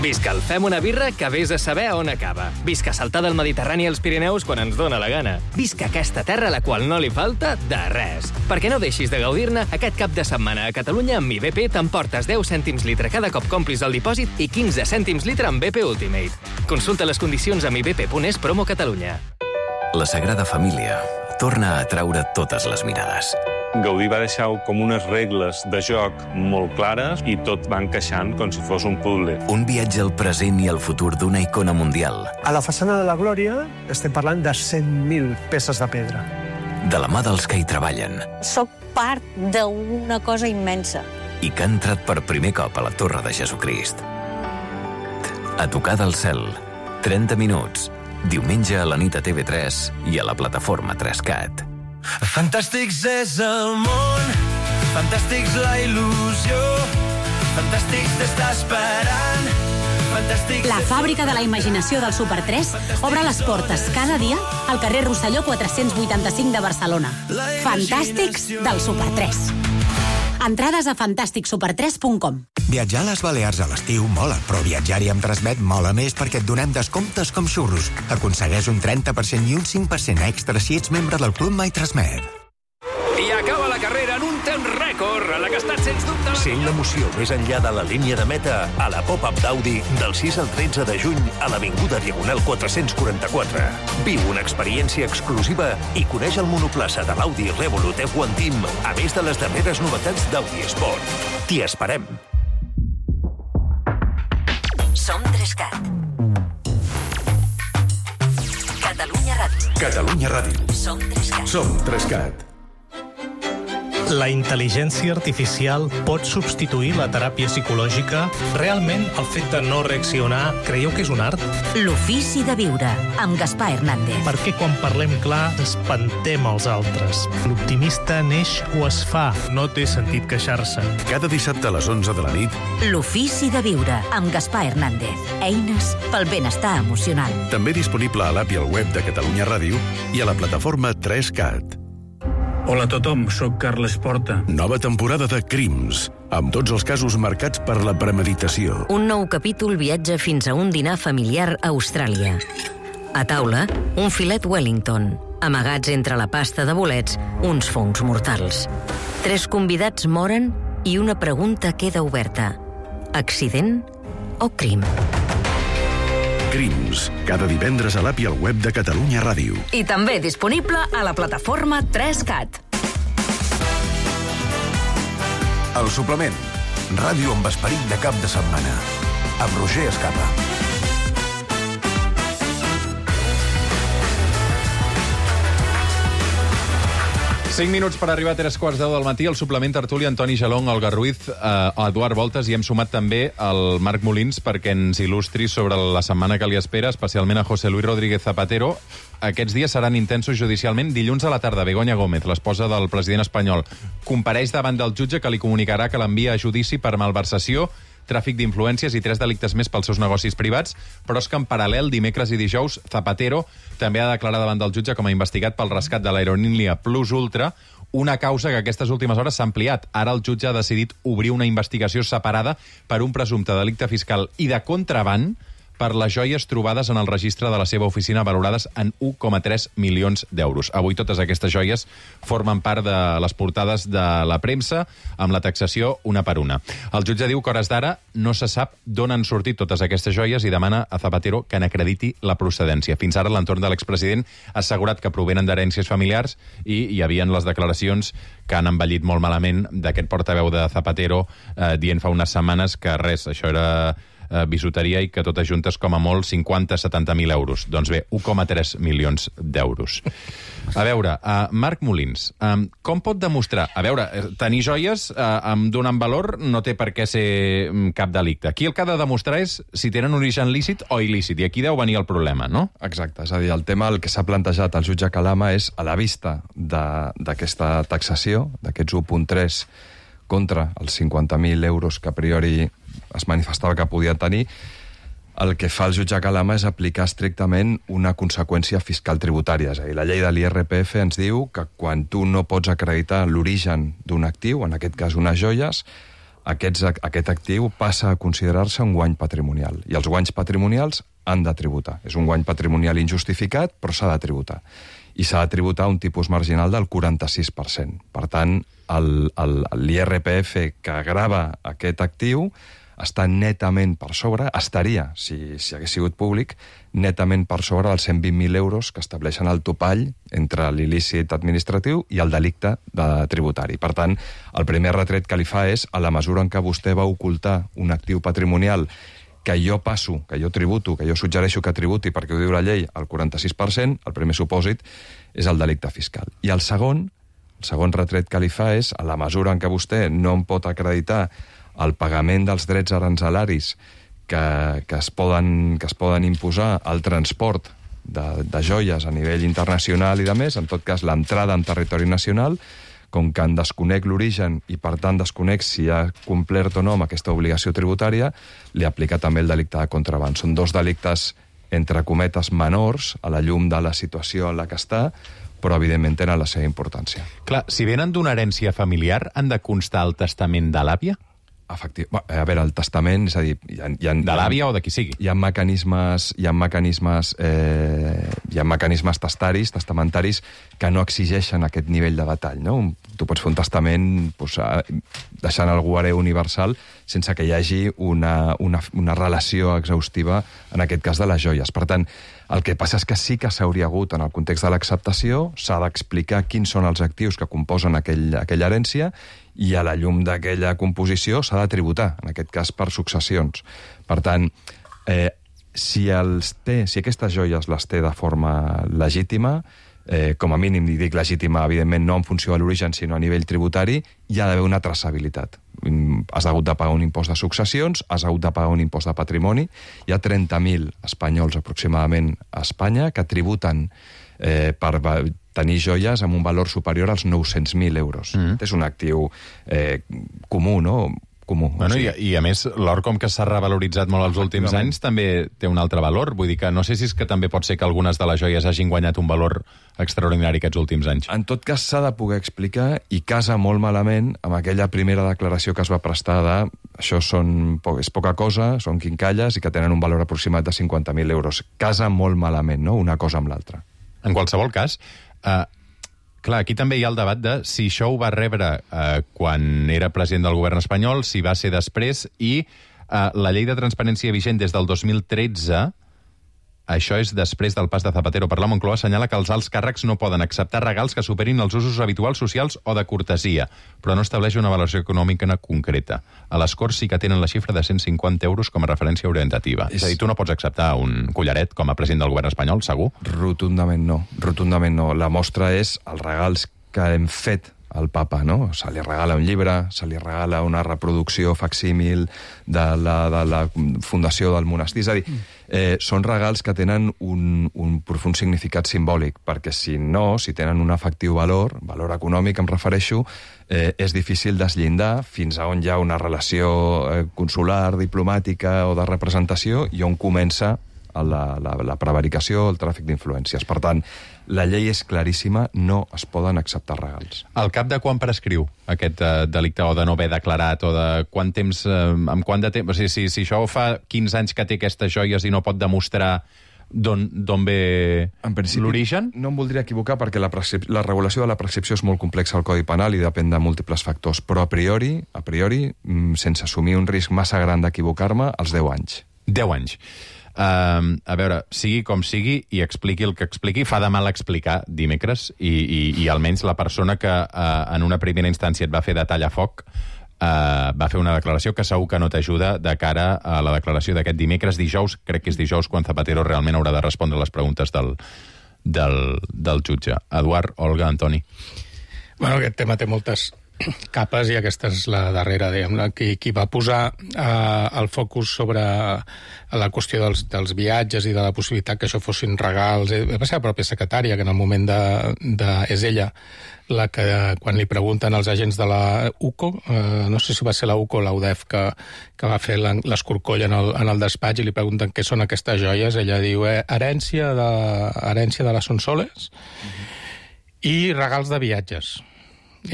Visca el Fem una birra que vés a saber on acaba. Visca saltar del Mediterrani als Pirineus quan ens dóna la gana. Visca aquesta terra a la qual no li falta de res. Perquè no deixis de gaudir-ne, aquest cap de setmana a Catalunya amb mi B P t'emportes deu cèntims litre cada cop complis el dipòsit i quinze cèntims litre amb B P Ultimate. Consulta les condicions a mi b p punt es promo Catalunya. La Sagrada Família torna a atraure totes les mirades. Gaudí va deixar com unes regles de joc molt clares i tot va encaixant com si fos un puzzle. Un viatge al present i al futur d'una icona mundial. A la façana de la Glòria estem parlant de cent mil peces de pedra. De la mà dels que hi treballen. Soc part d'una cosa immensa. I que ha entrat per primer cop a la Torre de Jesucrist. A tocar del cel. trenta minuts. Diumenge a la nit a T V tres i a la plataforma tres cat. Fantàstics és el món, fantàstics la il·lusió, fantàstics t'està esperant, fantàstics... La fàbrica de la imaginació del Super tres obre les portes cada dia al carrer Rosselló quatre-cents vuitanta-cinc de Barcelona. Fantàstics del Super tres. Entrades a fantàstic super tres punt com. Viatjar a les Balears a l'estiu mola, però viatjar-hi amb Transmet mola més perquè et donem descomptes com xurros. Aconsegueix un trenta per cent i un cinc per cent extra si ets membre del Club My Transmet. I acaba la carrera en un temps rècord, a la que ha estat sens dubte... Sent l'emoció més enllà de la línia de meta a la pop-up d'Audi del sis al tretze de juny a l'Avinguda Diagonal quatre-cents quaranta-quatre. Viu una experiència exclusiva i coneix el monoplaça de l'Audi Revolut F un Team, a més de les darreres novetats d'Audi Sport. T'hi esperem. Som tres cat. Catalunya Ràdio. Catalunya Ràdio. Som tres cat. Som tres cat. La intel·ligència artificial pot substituir la teràpia psicològica? Realment, el fet de no reaccionar, creieu que és un art? L'ofici de viure, amb Gaspar Hernández. Perquè quan parlem clar, espantem els altres. L'optimista neix o es fa, no té sentit queixar-se. Cada dissabte a les onze de la nit... L'ofici de viure, amb Gaspar Hernández. Eines pel benestar emocional. També disponible a l'app i al web de Catalunya Ràdio i a la plataforma tres cat. Hola a tothom, sóc Carles Porta. Nova temporada de Crims, amb tots els casos marcats per la premeditació. Un nou capítol viatja fins a un dinar familiar a Austràlia. A taula, un filet Wellington. Amagats entre la pasta de bolets, uns fongs mortals. Tres convidats moren i una pregunta queda oberta. Accident o crim? Crims, cada divendres a l'app i al web de Catalunya Ràdio. I també disponible a la plataforma tres cat. El suplement. Ràdio amb esperit de cap de setmana. Amb Roger Escapa. cinc minuts per arribar a tres quarts deu del matí, el suplement tertúlia Antoni Gelong, Olga Ruiz, eh, Eduard Voltes, i hem sumat també el Marc Molins perquè ens il·lustri sobre la setmana que li espera, especialment a José Luis Rodríguez Zapatero. Aquests dies seran intensos judicialment. Dilluns a la tarda, Begoña Gómez, l'esposa del president espanyol, compareix davant del jutge que li comunicarà que l'envia a judici per malversació, tràfic d'influències i tres delictes més pels seus negocis privats, però és que en paral·lel, dimecres i dijous, Zapatero també ha de declarar davant del jutge com a investigat pel rescat de l'aerolínia Plus Ultra, una causa que aquestes últimes hores s'ha ampliat. Ara el jutge ha decidit obrir una investigació separada per un presumpte delicte fiscal i de contraban per les joies trobades en el registre de la seva oficina valorades en un coma tres milions d'euros. Avui totes aquestes joies formen part de les portades de la premsa, amb la taxació una per una. El jutge diu que hores d'ara no se sap d'on han sortit totes aquestes joies i demana a Zapatero que n'acrediti la procedència. Fins ara l'entorn de l'expresident ha assegurat que provenen d'herències familiars i hi havien les declaracions que han envellit molt malament d'aquest portaveu de Zapatero eh, dient fa unes setmanes que res, això era eh, bisuteria i que totes juntes com a molt cinquanta a setanta mil euros. Doncs bé, un coma tres milions d'euros. A veure, uh, Marc Molins, um, com pot demostrar... A veure, tenir joies uh, amb donant valor no té per què ser um, cap delicte. Aquí el que ha de demostrar és si tenen origen lícit o il·lícit, i aquí deu venir el problema, no? Exacte, és a dir, el tema, el que s'ha plantejat al jutge Calama és, a la vista d'aquesta taxació, d'aquests un coma tres contra els cinquanta mil euros que a priori es manifestava que podia tenir, el que fa el jutge Calama és aplicar estrictament una conseqüència fiscal tributària. És a dir, la llei de l'I R P F ens diu que quan tu no pots acreditar l'origen d'un actiu, en aquest cas unes joies, aquests, aquest actiu passa a considerar-se un guany patrimonial. I els guanys patrimonials han de tributar. És un guany patrimonial injustificat, però s'ha de tributar. I s'ha de tributar un tipus marginal del quaranta-sis per cent. Per tant, l'I R P F que grava aquest actiu està netament per sobre, estaria, si, si hagués sigut públic, netament per sobre dels cent vint mil euros que estableixen el topall entre l'il·lícit administratiu i el delicte de tributari. Per tant, el primer retret que li fa és, a la mesura en què vostè va ocultar un actiu patrimonial que jo passo, que jo tributo, que jo suggereixo que tributi perquè ho diu la llei, el quaranta-sis per cent, el primer supòsit és el delicte fiscal. I el segon, el segon retret que li fa és, a la mesura en què vostè no em pot acreditar el pagament dels drets aranzelaris que, que, es poden, que es poden imposar al transport de, de joies a nivell internacional i de més, en tot cas l'entrada en territori nacional, com que en desconec l'origen i per tant desconec si ha complert o no amb aquesta obligació tributària, li aplica també el delicte de contraban. Són dos delictes, entre cometes, menors a la llum de la situació en la que està, però evidentment tenen la seva importància. Clar, si venen d'una herència familiar, han de constar el testament de l'àvia? Efectiu. A veure, el testament, és a dir... Hi ha, hi ha, de l'àvia o de qui sigui. Hi ha mecanismes, hi ha mecanismes, eh, hi ha mecanismes testaris, testamentaris, que no exigeixen aquest nivell de detall, no? Tu pots fer un testament doncs, deixant algú hereu universal sense que hi hagi una, una, una relació exhaustiva, en aquest cas de les joies. Per tant, el que passa és que sí que s'hauria hagut, en el context de l'acceptació, s'ha d'explicar quins són els actius que composen aquell, aquella herència i a la llum d'aquella composició s'ha de tributar, en aquest cas per successions. Per tant, eh, si, els té, si aquestes joies les té de forma legítima, eh, com a mínim, i dic legítima, evidentment, no en funció de l'origen, sinó a nivell tributari, hi ha d'haver una traçabilitat. Has hagut de pagar un impost de successions, has hagut de pagar un impost de patrimoni. Hi ha trenta mil espanyols aproximadament a Espanya que tributen eh, per tenir joies amb un valor superior als nou-cents mil euros. Mm. És un actiu eh, comú, no? Comú. Bueno, i, I a més, l'or, com que s'ha revaloritzat molt els últims anys, també té un altre valor. Vull dir que no sé si és que també pot ser que algunes de les joies hagin guanyat un valor extraordinari aquests últims anys. En tot cas, s'ha de poder explicar i casa molt malament amb aquella primera declaració que es va prestar de això són, és poca cosa, són quincalles i que tenen un valor aproximat de cinquanta mil euros. Casa molt malament, no?, una cosa amb l'altra. En qualsevol cas, Uh, clar, aquí també hi ha el debat de si això ho va rebre uh, quan era president del govern espanyol, si va ser després, i uh, la llei de transparència vigent des del dos mil tretze, això és després del pas de Zapatero per la Moncloa, assenyala que els alts càrrecs no poden acceptar regals que superin els usos habituals socials o de cortesia, però no estableix una valoració econòmica concreta. A les Corts sí que tenen la xifra de cent cinquanta euros com a referència orientativa. És, és a dir, tu no pots acceptar un collaret com a president del govern espanyol, segur? Rotundament no, rotundament no. La mostra és els regals que hem fet al papa, no? Se li regala un llibre, se li regala una reproducció facsímil de la, de la fundació del monestir. És a dir, eh, són regals que tenen un, un profund significat simbòlic, perquè si no, si tenen un efectiu valor, valor econòmic em refereixo, eh, és difícil desllindar fins a on hi ha una relació eh, consular, diplomàtica o de representació i on comença la, la, la prevaricació, el tràfic d'influències. Per tant, la llei és claríssima, no es poden acceptar regals. Al cap de quan prescriu aquest uh, delicte, o de no haver declarat, o de quant temps, uh, amb quant de temps... O sigui, si, si això fa quinze anys que té aquestes joies i no pot demostrar d'on ve l'origen? No em voldria equivocar perquè la, la regulació de la prescripció és molt complexa al Codi Penal i depèn de múltiples factors, però a priori, a priori, sense assumir un risc massa gran d'equivocar-me, als deu anys. deu anys. Uh, a veure, sigui com sigui i expliqui el que expliqui, fa de mal explicar dimecres i, i, i almenys la persona que uh, en una primera instància et va fer de tallafoc uh, va fer una declaració que segur que no t'ajuda de cara a la declaració d'aquest dimecres, dijous, crec que és dijous quan Zapatero realment haurà de respondre les preguntes del, del, del jutge. Eduard, Olga, Antoni. Bueno, aquest tema té moltes capes i aquesta és la darrera, diguem-ne, qui, qui va posar eh, el focus sobre la qüestió dels, dels viatges i de la possibilitat que això fossin regals. Va ser la pròpia secretària, que en el moment de... de és ella la que, quan li pregunten als agents de la U C O, eh, no sé si va ser la U C O o la U D E F que, que va fer l'escorcoll en, el, en el despatx i li pregunten què són aquestes joies, ella diu eh, herència, de, herència de les Sonsoles mm-hmm. i regals de viatges.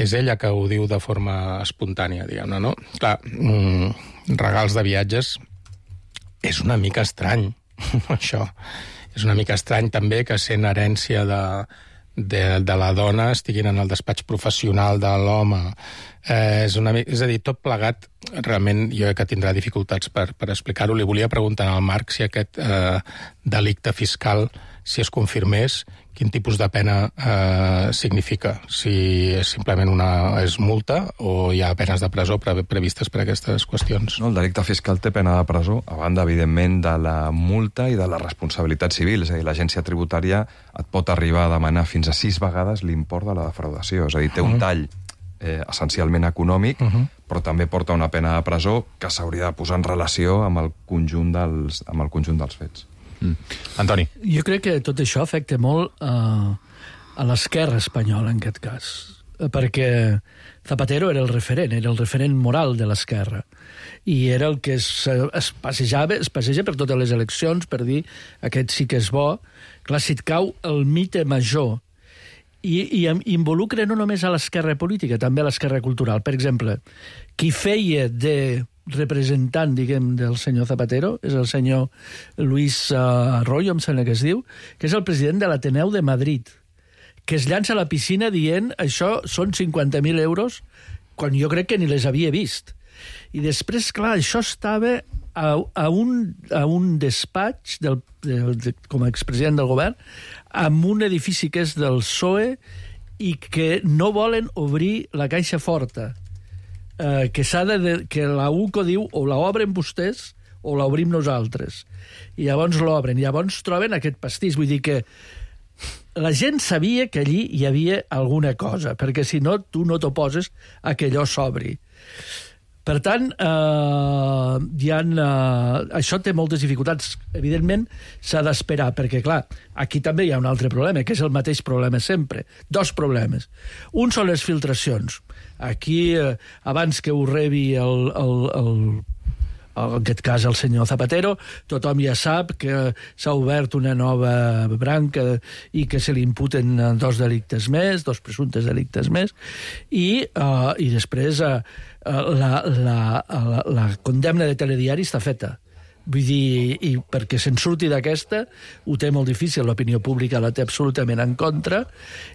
És ella que ho diu de forma espontània, diguem-ne, no? Clar, mm, regals de viatges és una mica estrany, això. És una mica estrany també que sent herència de, de, de la dona estiguin en el despatx professional de l'home. Eh, és, una, és a dir, tot plegat, realment jo crec que tindrà dificultats per, per explicar-ho. Li volia preguntar al Marc si aquest eh, delicte fiscal, si es confirmés, quin tipus de pena eh, significa? Si és simplement una és multa o hi ha penes de presó pre previstes per a aquestes qüestions? No, el delicte fiscal té pena de presó, a banda, evidentment, de la multa i de la responsabilitat civil. És a dir, l'agència tributària et pot arribar a demanar fins a sis vegades l'import de la defraudació. És a dir, té un tall eh, essencialment econòmic, uh-huh. però també porta una pena de presó que s'hauria de posar en relació amb el conjunt dels, amb el conjunt dels fets. Mm. Antoni. Jo crec que tot això afecta molt uh, a l'esquerra espanyola, en aquest cas, perquè Zapatero era el referent, era el referent moral de l'esquerra, i era el que es, es passejava, es passeja per totes les eleccions per dir aquest sí que és bo. Clar, si et cau el mite major, i, i involucra no només a l'esquerra política, també a l'esquerra cultural. Per exemple, qui feia de representant, diguem, del senyor Zapatero, és el senyor Luis uh, Arroyo, em sembla que es diu, que és el president de l'Ateneu de Madrid, que es llança a la piscina dient això són cinquanta mil euros, quan jo crec que ni les havia vist. I després, clar, això estava a, a, un, a un despatx del, del, de, com a expresident del govern, amb un edifici que és del P S O E i que no volen obrir la caixa forta. Uh, que s'ha de, que la U C O diu o la obren vostès o la obrim nosaltres. I llavors l'obren. I llavors troben aquest pastís. Vull dir que la gent sabia que allí hi havia alguna cosa, perquè si no, tu no t'oposes a que allò s'obri. Per tant, eh, hi ha, eh, això té moltes dificultats. Evidentment, s'ha d'esperar, perquè, clar, aquí també hi ha un altre problema, que és el mateix problema sempre. Dos problemes. Un són les filtracions. Aquí, eh, abans que ho rebi el, el, el, en aquest cas el senyor Zapatero, tothom ja sap que s'ha obert una nova branca i que se li imputen dos delictes més, dos presumptes delictes més, i, uh, i després uh, la, la, la, la condemna de Telediari està feta. Vull dir, i perquè se'n surti d'aquesta, ho té molt difícil, l'opinió pública la té absolutament en contra,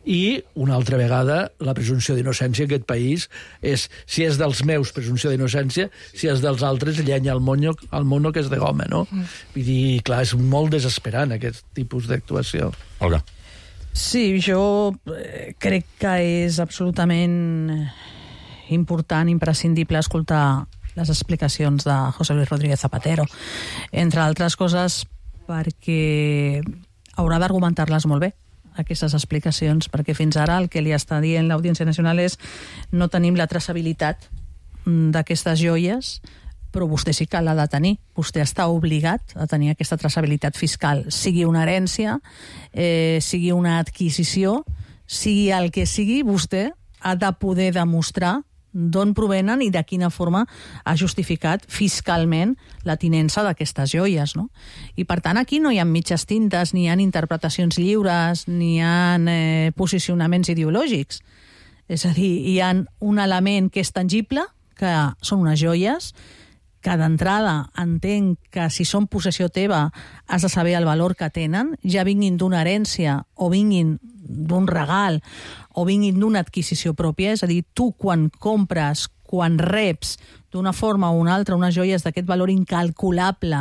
i una altra vegada la presumpció d'innocència en aquest país és, si és dels meus, presumpció d'innocència, si és dels altres, llenya al mono, al mono que és de goma, no? Mm. Vull dir, clar, és molt desesperant aquest tipus d'actuació. Olga. Sí, jo crec que és absolutament important, imprescindible escoltar les explicacions de José Luis Rodríguez Zapatero, entre altres coses perquè haurà d'argumentar-les molt bé, aquestes explicacions, perquè fins ara el que li està dient l'Audiència Nacional és no tenim la traçabilitat d'aquestes joies, però vostè sí que l'ha de tenir. Vostè està obligat a tenir aquesta traçabilitat fiscal, sigui una herència, eh, sigui una adquisició, sigui el que sigui, vostè ha de poder demostrar d'on provenen i de quina forma ha justificat fiscalment la tinença d'aquestes joies, no? I per tant aquí no hi ha mitges tintes, ni hi ha interpretacions lliures, ni hi ha eh, posicionaments ideològics. És a dir, hi ha un element que és tangible, que són unes joies, que d'entrada entenc que si són possessió teva has de saber el valor que tenen, ja vinguin d'una herència o vinguin d'un regal o vinguin d'una adquisició pròpia, és a dir, tu quan compres, quan reps d'una forma o una altra unes joies d'aquest valor incalculable,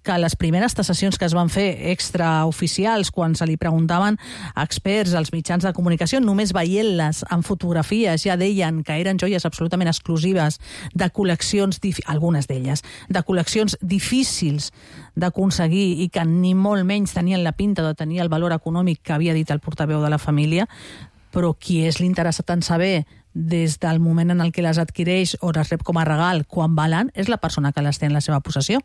que les primeres tasacions que es van fer extraoficials, quan se li preguntaven a experts, als mitjans de comunicació, només veient-les en fotografies ja deien que eren joies absolutament exclusives de col·leccions, algunes d'elles, de col·leccions difícils d'aconseguir i que ni molt menys tenien la pinta de tenir el valor econòmic que havia dit el portaveu de la família, però qui és l'interessat en saber des del moment en el que les adquireix o les rep com a regal, quan valen, és la persona que les té en la seva possessió.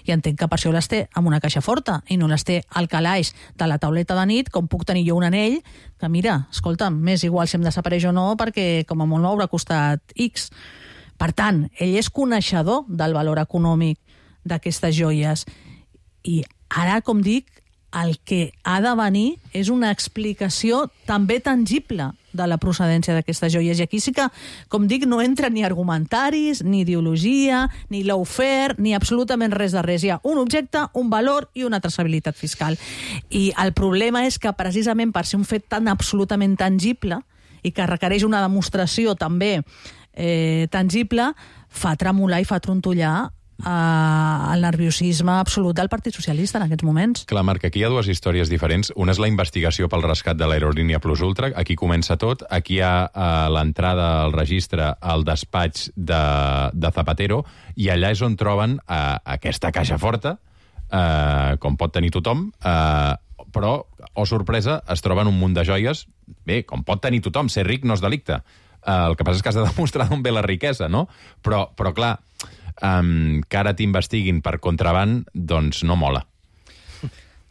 I entenc que per això les té en una caixa forta i no les té al calaix de la tauleta de nit, com puc tenir jo un anell, que mira, escolta'm, m'és igual si em desapareix o no, perquè com a molt m'haurà costat X. Per tant, ell és coneixedor del valor econòmic d'aquestes joies. I ara, com dic, el que ha de venir és una explicació també tangible de la procedència d'aquestes joies. I aquí sí que, com dic, no entra ni argumentaris, ni ideologia, ni lawfare, ni absolutament res de res. Hi ha un objecte, un valor i una traçabilitat fiscal. I el problema és que precisament per ser un fet tan absolutament tangible i que requereix una demostració també eh, tangible, fa tremolar i fa trontollar el nerviosisme absolut del Partit Socialista en aquests moments. Clar, Marc, aquí hi ha dues històries diferents. Una és la investigació pel rescat de l'aerolínia Plus Ultra. Aquí comença tot. Aquí hi ha uh, l'entrada al registre al despatx de, de Zapatero, i allà és on troben uh, aquesta caixa forta, uh, com pot tenir tothom, uh, però, oh sorpresa, es troben un munt de joies. Bé, com pot tenir tothom, ser ric no és delicte. Uh, el que passa és que has de demostrar d'on ve la riquesa, no? Però, però clar, Um, que ara t'investiguin per contraband, doncs no mola.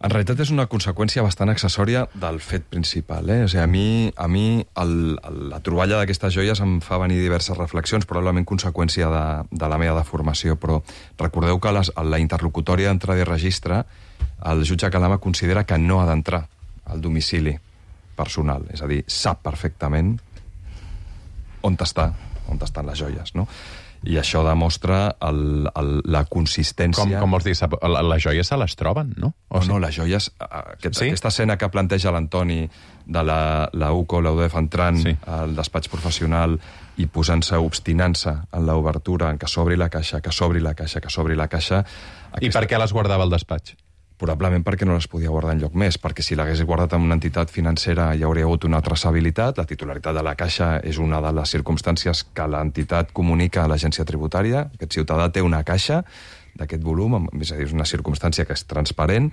En realitat és una conseqüència bastant accessòria del fet principal. Eh? O sigui, a mi, a mi el, el, la troballa d'aquestes joies em fa venir diverses reflexions, probablement conseqüència de, de la meva deformació, però recordeu que les, la interlocutòria d'entrada i registre, el jutge Calama considera que no ha d'entrar al domicili personal, és a dir, sap perfectament on està, on estan les joies, no? I això demostra el, el, la consistència... Com, com vols dir? Les joies se les troben, no? O no, no, les joies... Aquest, sí? Aquesta escena que planteja l'Antoni de la, la U C O, la U D E F entrant sí. al despatx professional i posant-se, obstinant-se en l'obertura, en que s'obri la caixa, que s'obri la caixa, que s'obri la caixa... Aquesta... I per què les guardava al despatx? Probablement perquè no les podia guardar enlloc més, perquè si l'hagués guardat en una entitat financera hi hauria hagut una traçabilitat, la titularitat de la caixa és una de les circumstàncies que l'entitat comunica a l'agència tributària, aquest ciutadà té una caixa d'aquest volum, és a dir, és una circumstància que és transparent,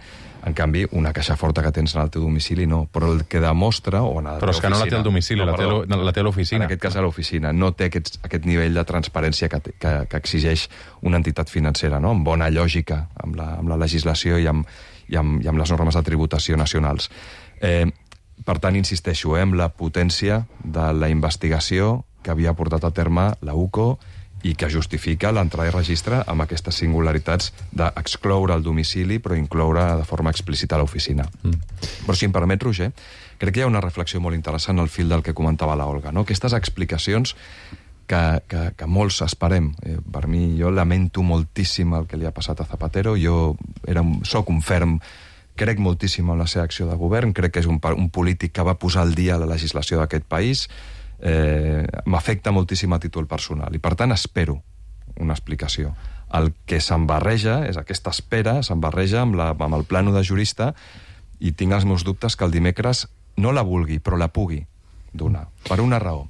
en canvi, una caixa forta que tens en el teu domicili no, però el que demostra... O en però és que no la té al domicili, no, perdó, la té a l'oficina. En aquest cas a l'oficina, no té aquest, aquest nivell de transparència que, que, que exigeix una entitat financera, no? Amb bona lògica, amb la, amb la legislació i amb, i, amb, i amb les normes de tributació nacionals. Eh, per tant, insisteixo, eh, amb la potència de la investigació que havia portat a terme la U C O i que justifica l'entrada i registre amb aquestes singularitats d'excloure el domicili però incloure de forma explícita l'oficina. Mm. Però si em permet, Roger, crec que hi ha una reflexió molt interessant al fil del que comentava la Olga, no? Aquestes explicacions que, que, que molts esperem. Eh, per mi, jo lamento moltíssim el que li ha passat a Zapatero. Jo era un, soc un ferm, crec moltíssim en la seva acció de govern, crec que és un, un polític que va posar al dia la legislació d'aquest país. Eh, m'afecta moltíssim a títol personal i, per tant, espero una explicació. El que se'n barreja és aquesta espera, se'n barreja amb, la, amb el plano de jurista, i tinc els meus dubtes que el dimecres no la vulgui, però la pugui donar. Per una raó.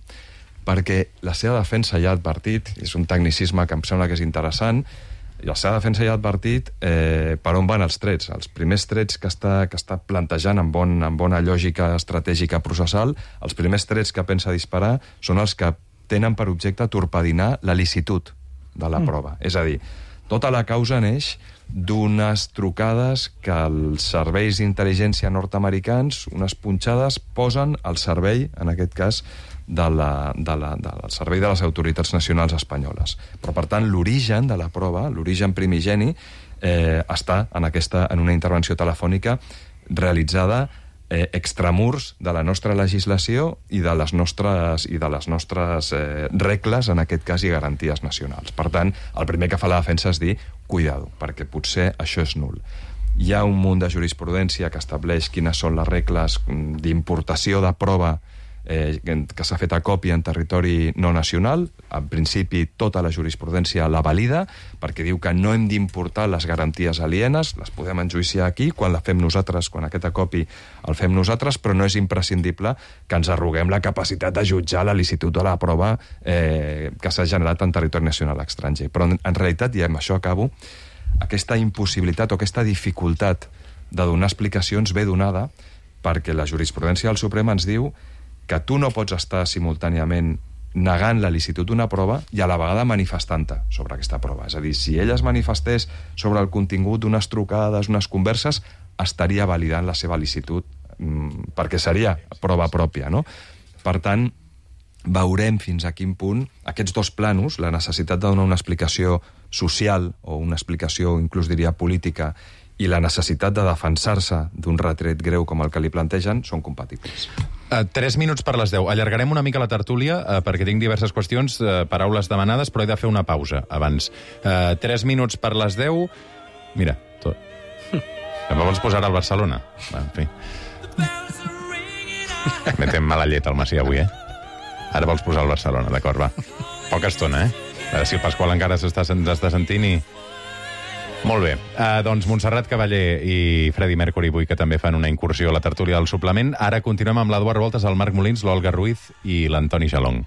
Perquè la seva defensa ja ha advertit, és un tecnicisme que em sembla que és interessant, i la seva defensa ja ha advertit eh, per on van els trets. Els primers trets que està, que està plantejant amb, bon, amb bona lògica estratègica processal, els primers trets que pensa disparar són els que tenen per objecte torpedinar la licitud de la prova. Mm. És a dir, tota la causa neix d'unes trucades que els serveis d'intel·ligència nord-americans, unes punxades, posen al servei, en aquest cas, de la, de la, del servei de les autoritats nacionals espanyoles. Però, per tant, l'origen de la prova, l'origen primigeni, eh, està en, aquesta, en una intervenció telefònica realitzada Eh, extramurs de la nostra legislació i de les nostres, i de les nostres eh, regles, en aquest cas, i garanties nacionals. Per tant, el primer que fa la defensa és dir, cuidado, perquè potser això és nul. Hi ha un munt de jurisprudència que estableix quines són les regles d'importació de prova eh, que s'ha fet a còpia en territori no nacional. En principi, tota la jurisprudència la valida, perquè diu que no hem d'importar les garanties alienes, les podem enjuiciar aquí, quan la fem nosaltres, quan aquest acopi el fem nosaltres, però no és imprescindible que ens arroguem la capacitat de jutjar la licitud de la prova eh, que s'ha generat en territori nacional estranger. Però, en, en realitat, i amb això acabo, aquesta impossibilitat o aquesta dificultat de donar explicacions ve donada perquè la jurisprudència del Suprem ens diu que tu no pots estar simultàniament negant la licitud d'una prova i a la vegada manifestant-te sobre aquesta prova. És a dir, si ella es manifestés sobre el contingut d'unes trucades, unes converses, estaria validant la seva licitud, mmm, perquè seria prova pròpia, no? Per tant, veurem fins a quin punt aquests dos planos, la necessitat de donar una explicació social o una explicació, inclús diria, política, i la necessitat de defensar-se d'un retret greu com el que li plantegen, són compatibles. Uh, tres minuts per les deu. Allargarem una mica la tertúlia uh, perquè tinc diverses qüestions, uh, paraules demanades, però he de fer una pausa abans. Uh, tres minuts per les deu... Mira, tot. També vols posar al Barcelona? Va, en fi. Metem mala llet al Macià avui, eh? Ara vols posar al Barcelona, d'acord, va. Poca estona, eh? A veure si el Pasqual encara s'està sentint i... Molt bé. Uh, doncs Montserrat Cavaller i Freddie Mercury avui que també fan una incursió a la tertúlia del suplement. Ara continuem amb l'Eduard Voltes, el Marc Molins, l'Olga Ruiz i l'Antoni Jalong.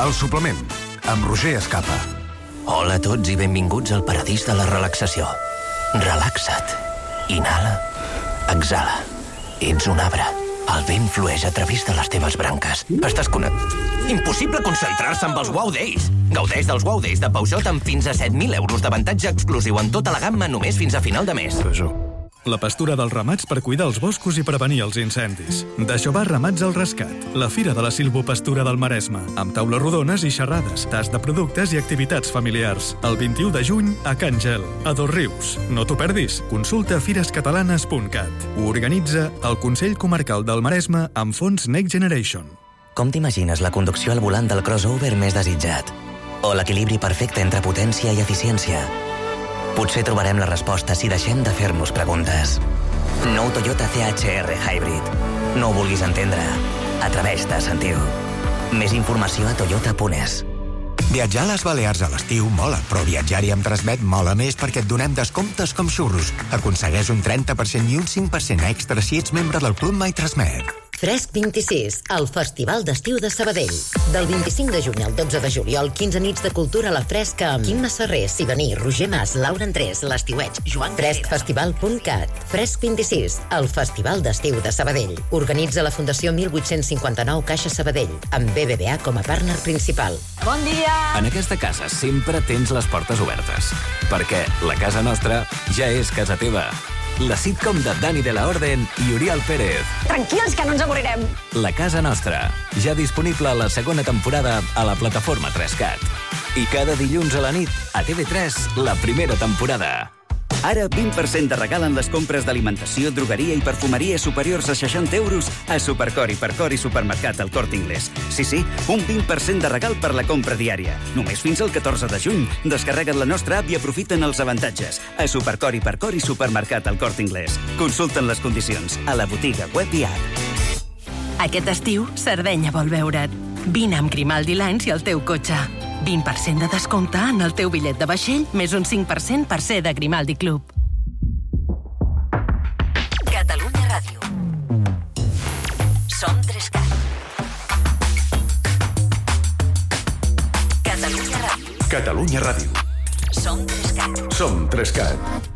El suplement, amb Roger Escapa. Hola a tots i benvinguts al paradís de la relaxació. Relaxa't. Inhala. Exhala. Ets un arbre. El vent flueix a través de les teves branques. Estàs connectat. Impossible concentrar-se amb els Wow Days. Gaudeix dels Wow Days de Peugeot amb fins a set mil euros d'avantatge exclusiu en tota la gamma només fins a final de mes. La pastura dels ramats per cuidar els boscos i prevenir els incendis. D'això va Ramats al Rescat, la fira de la silvopastura del Maresme, amb taules rodones i xerrades, tast de productes i activitats familiars. El vint-i-u de juny a Can Gel, a Dosrius. No t'ho perdis. Consulta fires catalanes punt cat. Ho organitza el Consell Comarcal del Maresme amb fons Next Generation. Com t'imagines la conducció al volant del crossover més desitjat? O l'equilibri perfecte entre potència i eficiència? Potser trobarem la resposta si deixem de fer-nos preguntes. Nou Toyota C H R Hybrid. No ho vulguis entendre. Atreveix-te a sentir-ho. Més informació a toyota punt es. Viatjar a les Balears a l'estiu mola, però viatjar-hi amb Transmet mola més perquè et donem descomptes com xurros. Aconsegueix un trenta per cent i un cinc per cent extra si ets membre del Club My Transmet. Fresc vint-i-sis, el Festival d'Estiu de Sabadell. Del vint-i-cinc de juny al dotze de juliol, quinze nits de cultura a la fresca amb Quim Masserrer, Sibaní, Roger Mas, Laura Andrés, l'Estiueig, Joan fresc festival punt cat. Fresc vint-i-sis, el Festival d'Estiu de Sabadell. Organitza la Fundació mil vuit-cents cinquanta-nou Caixa Sabadell, amb B B V A com a partner principal. Bon dia! En aquesta casa sempre tens les portes obertes, perquè la casa nostra ja és casa teva. la sitcom de Dani de la Orden i Oriol Pérez. Tranquils, que no ens avorrirem. La casa nostra, ja disponible a la segona temporada a la plataforma tres cat. I cada dilluns a la nit, a T V tres, la primera temporada. Ara vint per cent de regal en les compres d'alimentació, drogueria i perfumeria superiors a seixanta euros a Supercor, Hipercor i Supermercat El Corte Inglés. Sí, sí, un vint per cent de regal per la compra diària. Només fins al catorze de juny. Descarrega't la nostra app i aprofita'n els avantatges. A Supercor, Hipercor i Supermercat El Corte Inglés. Consulta'n les condicions a la botiga web i app. Aquest estiu, Sardenya vol veure't. Vine amb Grimaldi Lines i el teu cotxe. vint per cent de descompte en el teu bitllet de vaixell, més un cinc per cent per ser de Grimaldi Club. Catalunya Ràdio. Som tres cat. Catalunya Ràdio. Catalunya Ràdio. Som tres cat. Som tres cat.